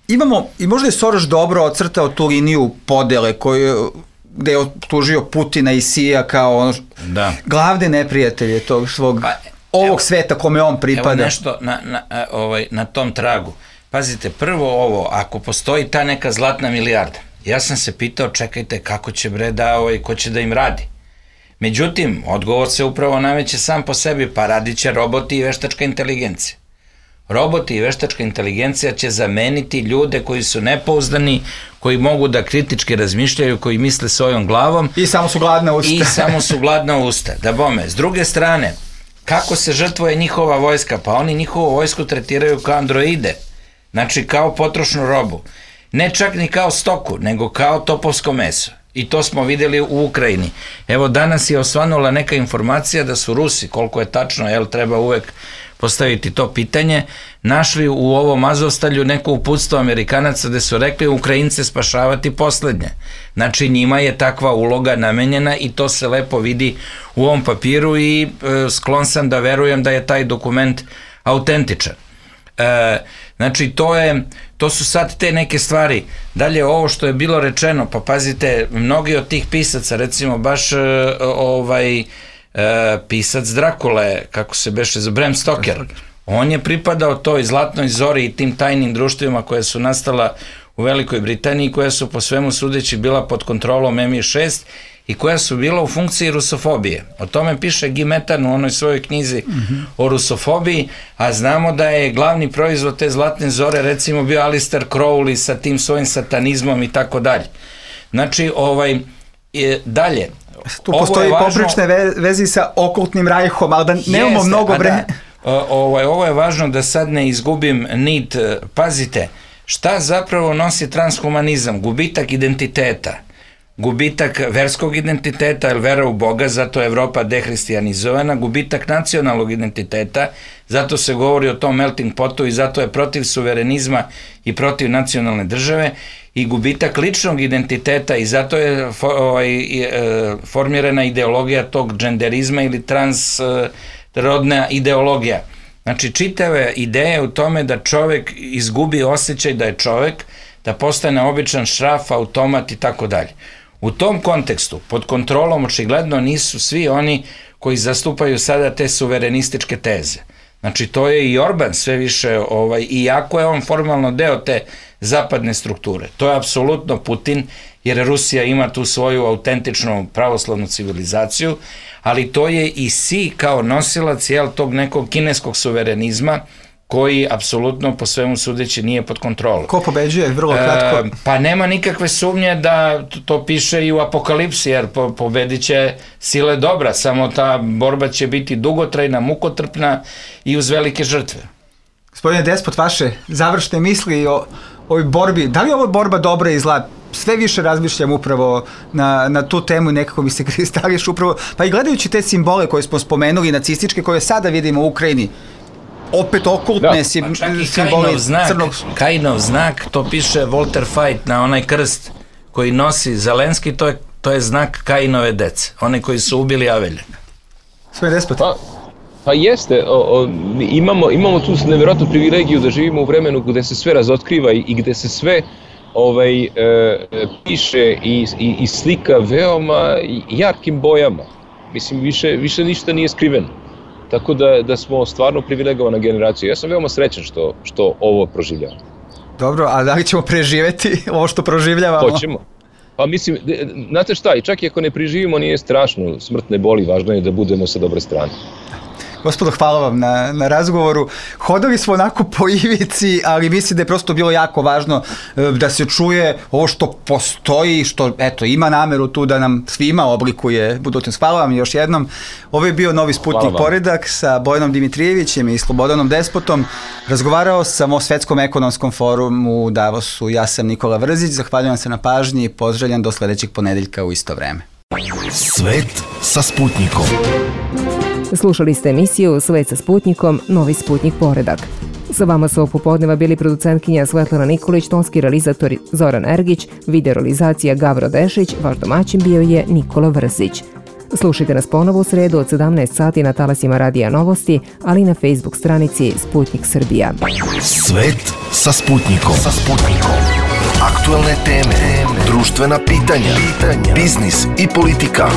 imamo, i možda je Soros dobro ocrtao tu liniju podele koju, gde je optužio Putina i Sija kao ono, da. glavne neprijatelje tog svog, pa, ovog evo, sveta kome on pripada. Evo nešto na, na, ovaj, na tom tragu. Pazite, prvo ovo, ako postoji ta neka zlatna milijarda, ja sam se pitao, čekajte, kako će bre da, ovaj, ko će da im radi? Međutim, odgovor se upravo nameće sam po sebi, pa radit će roboti i veštačka inteligencija. Roboti i veštačka inteligencija će zameniti ljude koji su nepouzdani, koji mogu da kritički razmišljaju, koji misle svojom glavom. I samo su gladna usta. I samo su gladna usta. Da bome, s druge strane, kako se žrtvuje njihova vojska? Pa oni njihovu vojsku tretiraju kao androide. Znači kao potrošnu robu. Ne čak ni kao stoku, nego kao topovsko meso. I to smo videli u Ukrajini. Evo danas je osvanula neka informacija da su Rusi, koliko je tačno, jel treba uvek postaviti to pitanje, našli u ovom Azovstalju neko uputstvo Amerikanaca gde su rekli Ukrajince spašavati poslednje. Znači njima je takva uloga namenjena i to se lepo vidi u ovom papiru i e, sklon sam da verujem da je taj dokument autentičan. E, znači to je, to su sad te neke stvari. Dalje ovo što je bilo rečeno, pa pazite, mnogi od tih pisaca, recimo baš e, ovaj e, pisac Drakule, kako se beše za Bram Stoker, on je pripadao toj zlatnoj zori i tim tajnim društvima koje su nastala u Velikoj Britaniji, koja su po svemu sudeći bila pod kontrolom em i šest i koja su bila u funkciji rusofobije. O tome piše Guy Metan u onoj svojoj knjizi mm-hmm. o rusofobiji, a znamo da je glavni proizvod te zlatne zore recimo bio Alistair Crowley sa tim svojim satanizmom i tako dalje. Znači, ovaj, je, dalje, tu postoji važno, poprične ve, vezi sa okultnim rajhom, ali da nemamo jeste, mnogo vremena. Da, ovaj, ovo je važno da sad ne izgubim nit. Pazite, šta zapravo nosi transhumanizam? Gubitak identiteta. Gubitak verskog identiteta, jer vera u Boga, zato je Evropa dehristijanizovana, gubitak nacionalnog identiteta, zato se govori o tom melting potu i zato je protiv suverenizma i protiv nacionalne države, i gubitak ličnog identiteta i zato je ovaj, formirana ideologija tog dženderizma ili transrodna ideologija. Znači, čitave ideje u tome da čovek izgubi osjećaj da je čovek, da postane običan šraf, automat i tako dalje. U tom kontekstu, pod kontrolom očigledno nisu svi oni koji zastupaju sada te suverenističke teze. Znači, to je i Orban sve više, ovaj, iako je on formalno deo te zapadne strukture. To je apsolutno Putin, jer Rusija ima tu svoju autentičnu pravoslavnu civilizaciju, ali to je i Si kao nosilac jel, tog nekog kineskog suverenizma, koji apsolutno po svemu sudeći nije pod kontrolom. Ko pobeđuje, vrlo kratko? E, pa nema nikakve sumnje da to piše i u Apokalipsi, jer po, pobedit će sile dobra, samo ta borba će biti dugotrajna, mukotrpna i uz velike žrtve. Gospodine Despot, vaše završne misli o ovoj borbi, da li je ovo borba dobra i zla? Sve više razmišljam upravo na, na tu temu i nekako mi se kristališ upravo, pa i gledajući te simbole koje smo spomenuli, nacističke, koje sada vidimo u Ukrajini, opet okultne sim, pa simboli znak, crnog... Kajinov znak, to piše Walter Fight na onaj krst koji nosi Zelenski, to je, to je znak Kajinove dece, one koji su ubili Avelja. Sve despot. Pa, pa jeste, o, o, imamo, imamo tu nevjerojatnu privilegiju da živimo u vremenu gde se sve razotkriva i, i gde se sve ovaj, e, piše i, i, i slika veoma jarkim bojama. Mislim, više, više ništa nije skriveno. Tako da, da smo stvarno privilegovana generacija. Ja sam veoma srećan što, što ovo proživljamo. Dobro, a da li ćemo preživeti ovo što proživljavamo? Hoćemo. Pa mislim, znate šta, i čak i ako ne preživimo nije strašno, smrt ne boli, važno je da budemo sa dobre strane. Gospodo, hvala vam na, na razgovoru. Hodali smo onako po ivici, ali mislim da je prosto bilo jako važno da se čuje ovo što postoji, što eto, ima nameru tu da nam svima oblikuje budućnost. Hvala vam još jednom. Ovo je bio Novi Sputnik Poredak sa Bojanom Dimitrijevićem i Slobodanom Despotom. Razgovarao sam o Svetskom ekonomskom forumu u Davosu. Ja sam Nikola Vrzić, zahvaljujem se na pažnji i pozdravljam do sledećeg ponedeljka u isto vreme. Svet sa Sputnikom. Slušali ste emisiju Svet sa Sputnikom, Novi Sputnik Poredak. Sa vama su ovog popodneva bili producentkinja Svetlana Nikolić, tonski realizator Zoran Ergić, video realizacija Gavro Dešić, vaš domaćin bio je Nikola Vrzić. Slušajte nas ponovo u sredu od sedamnaest sati na talasima Radija Novosti, ali i na Facebook stranici Sputnik Srbija. Svet sa Sputnikom. Sa Sputnikom. Aktuelne teme, društvena pitanja, biznis i politika.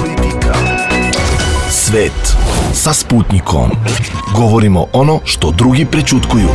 Svet sa Sputnikom. Govorimo ono što drugi prećutkuju.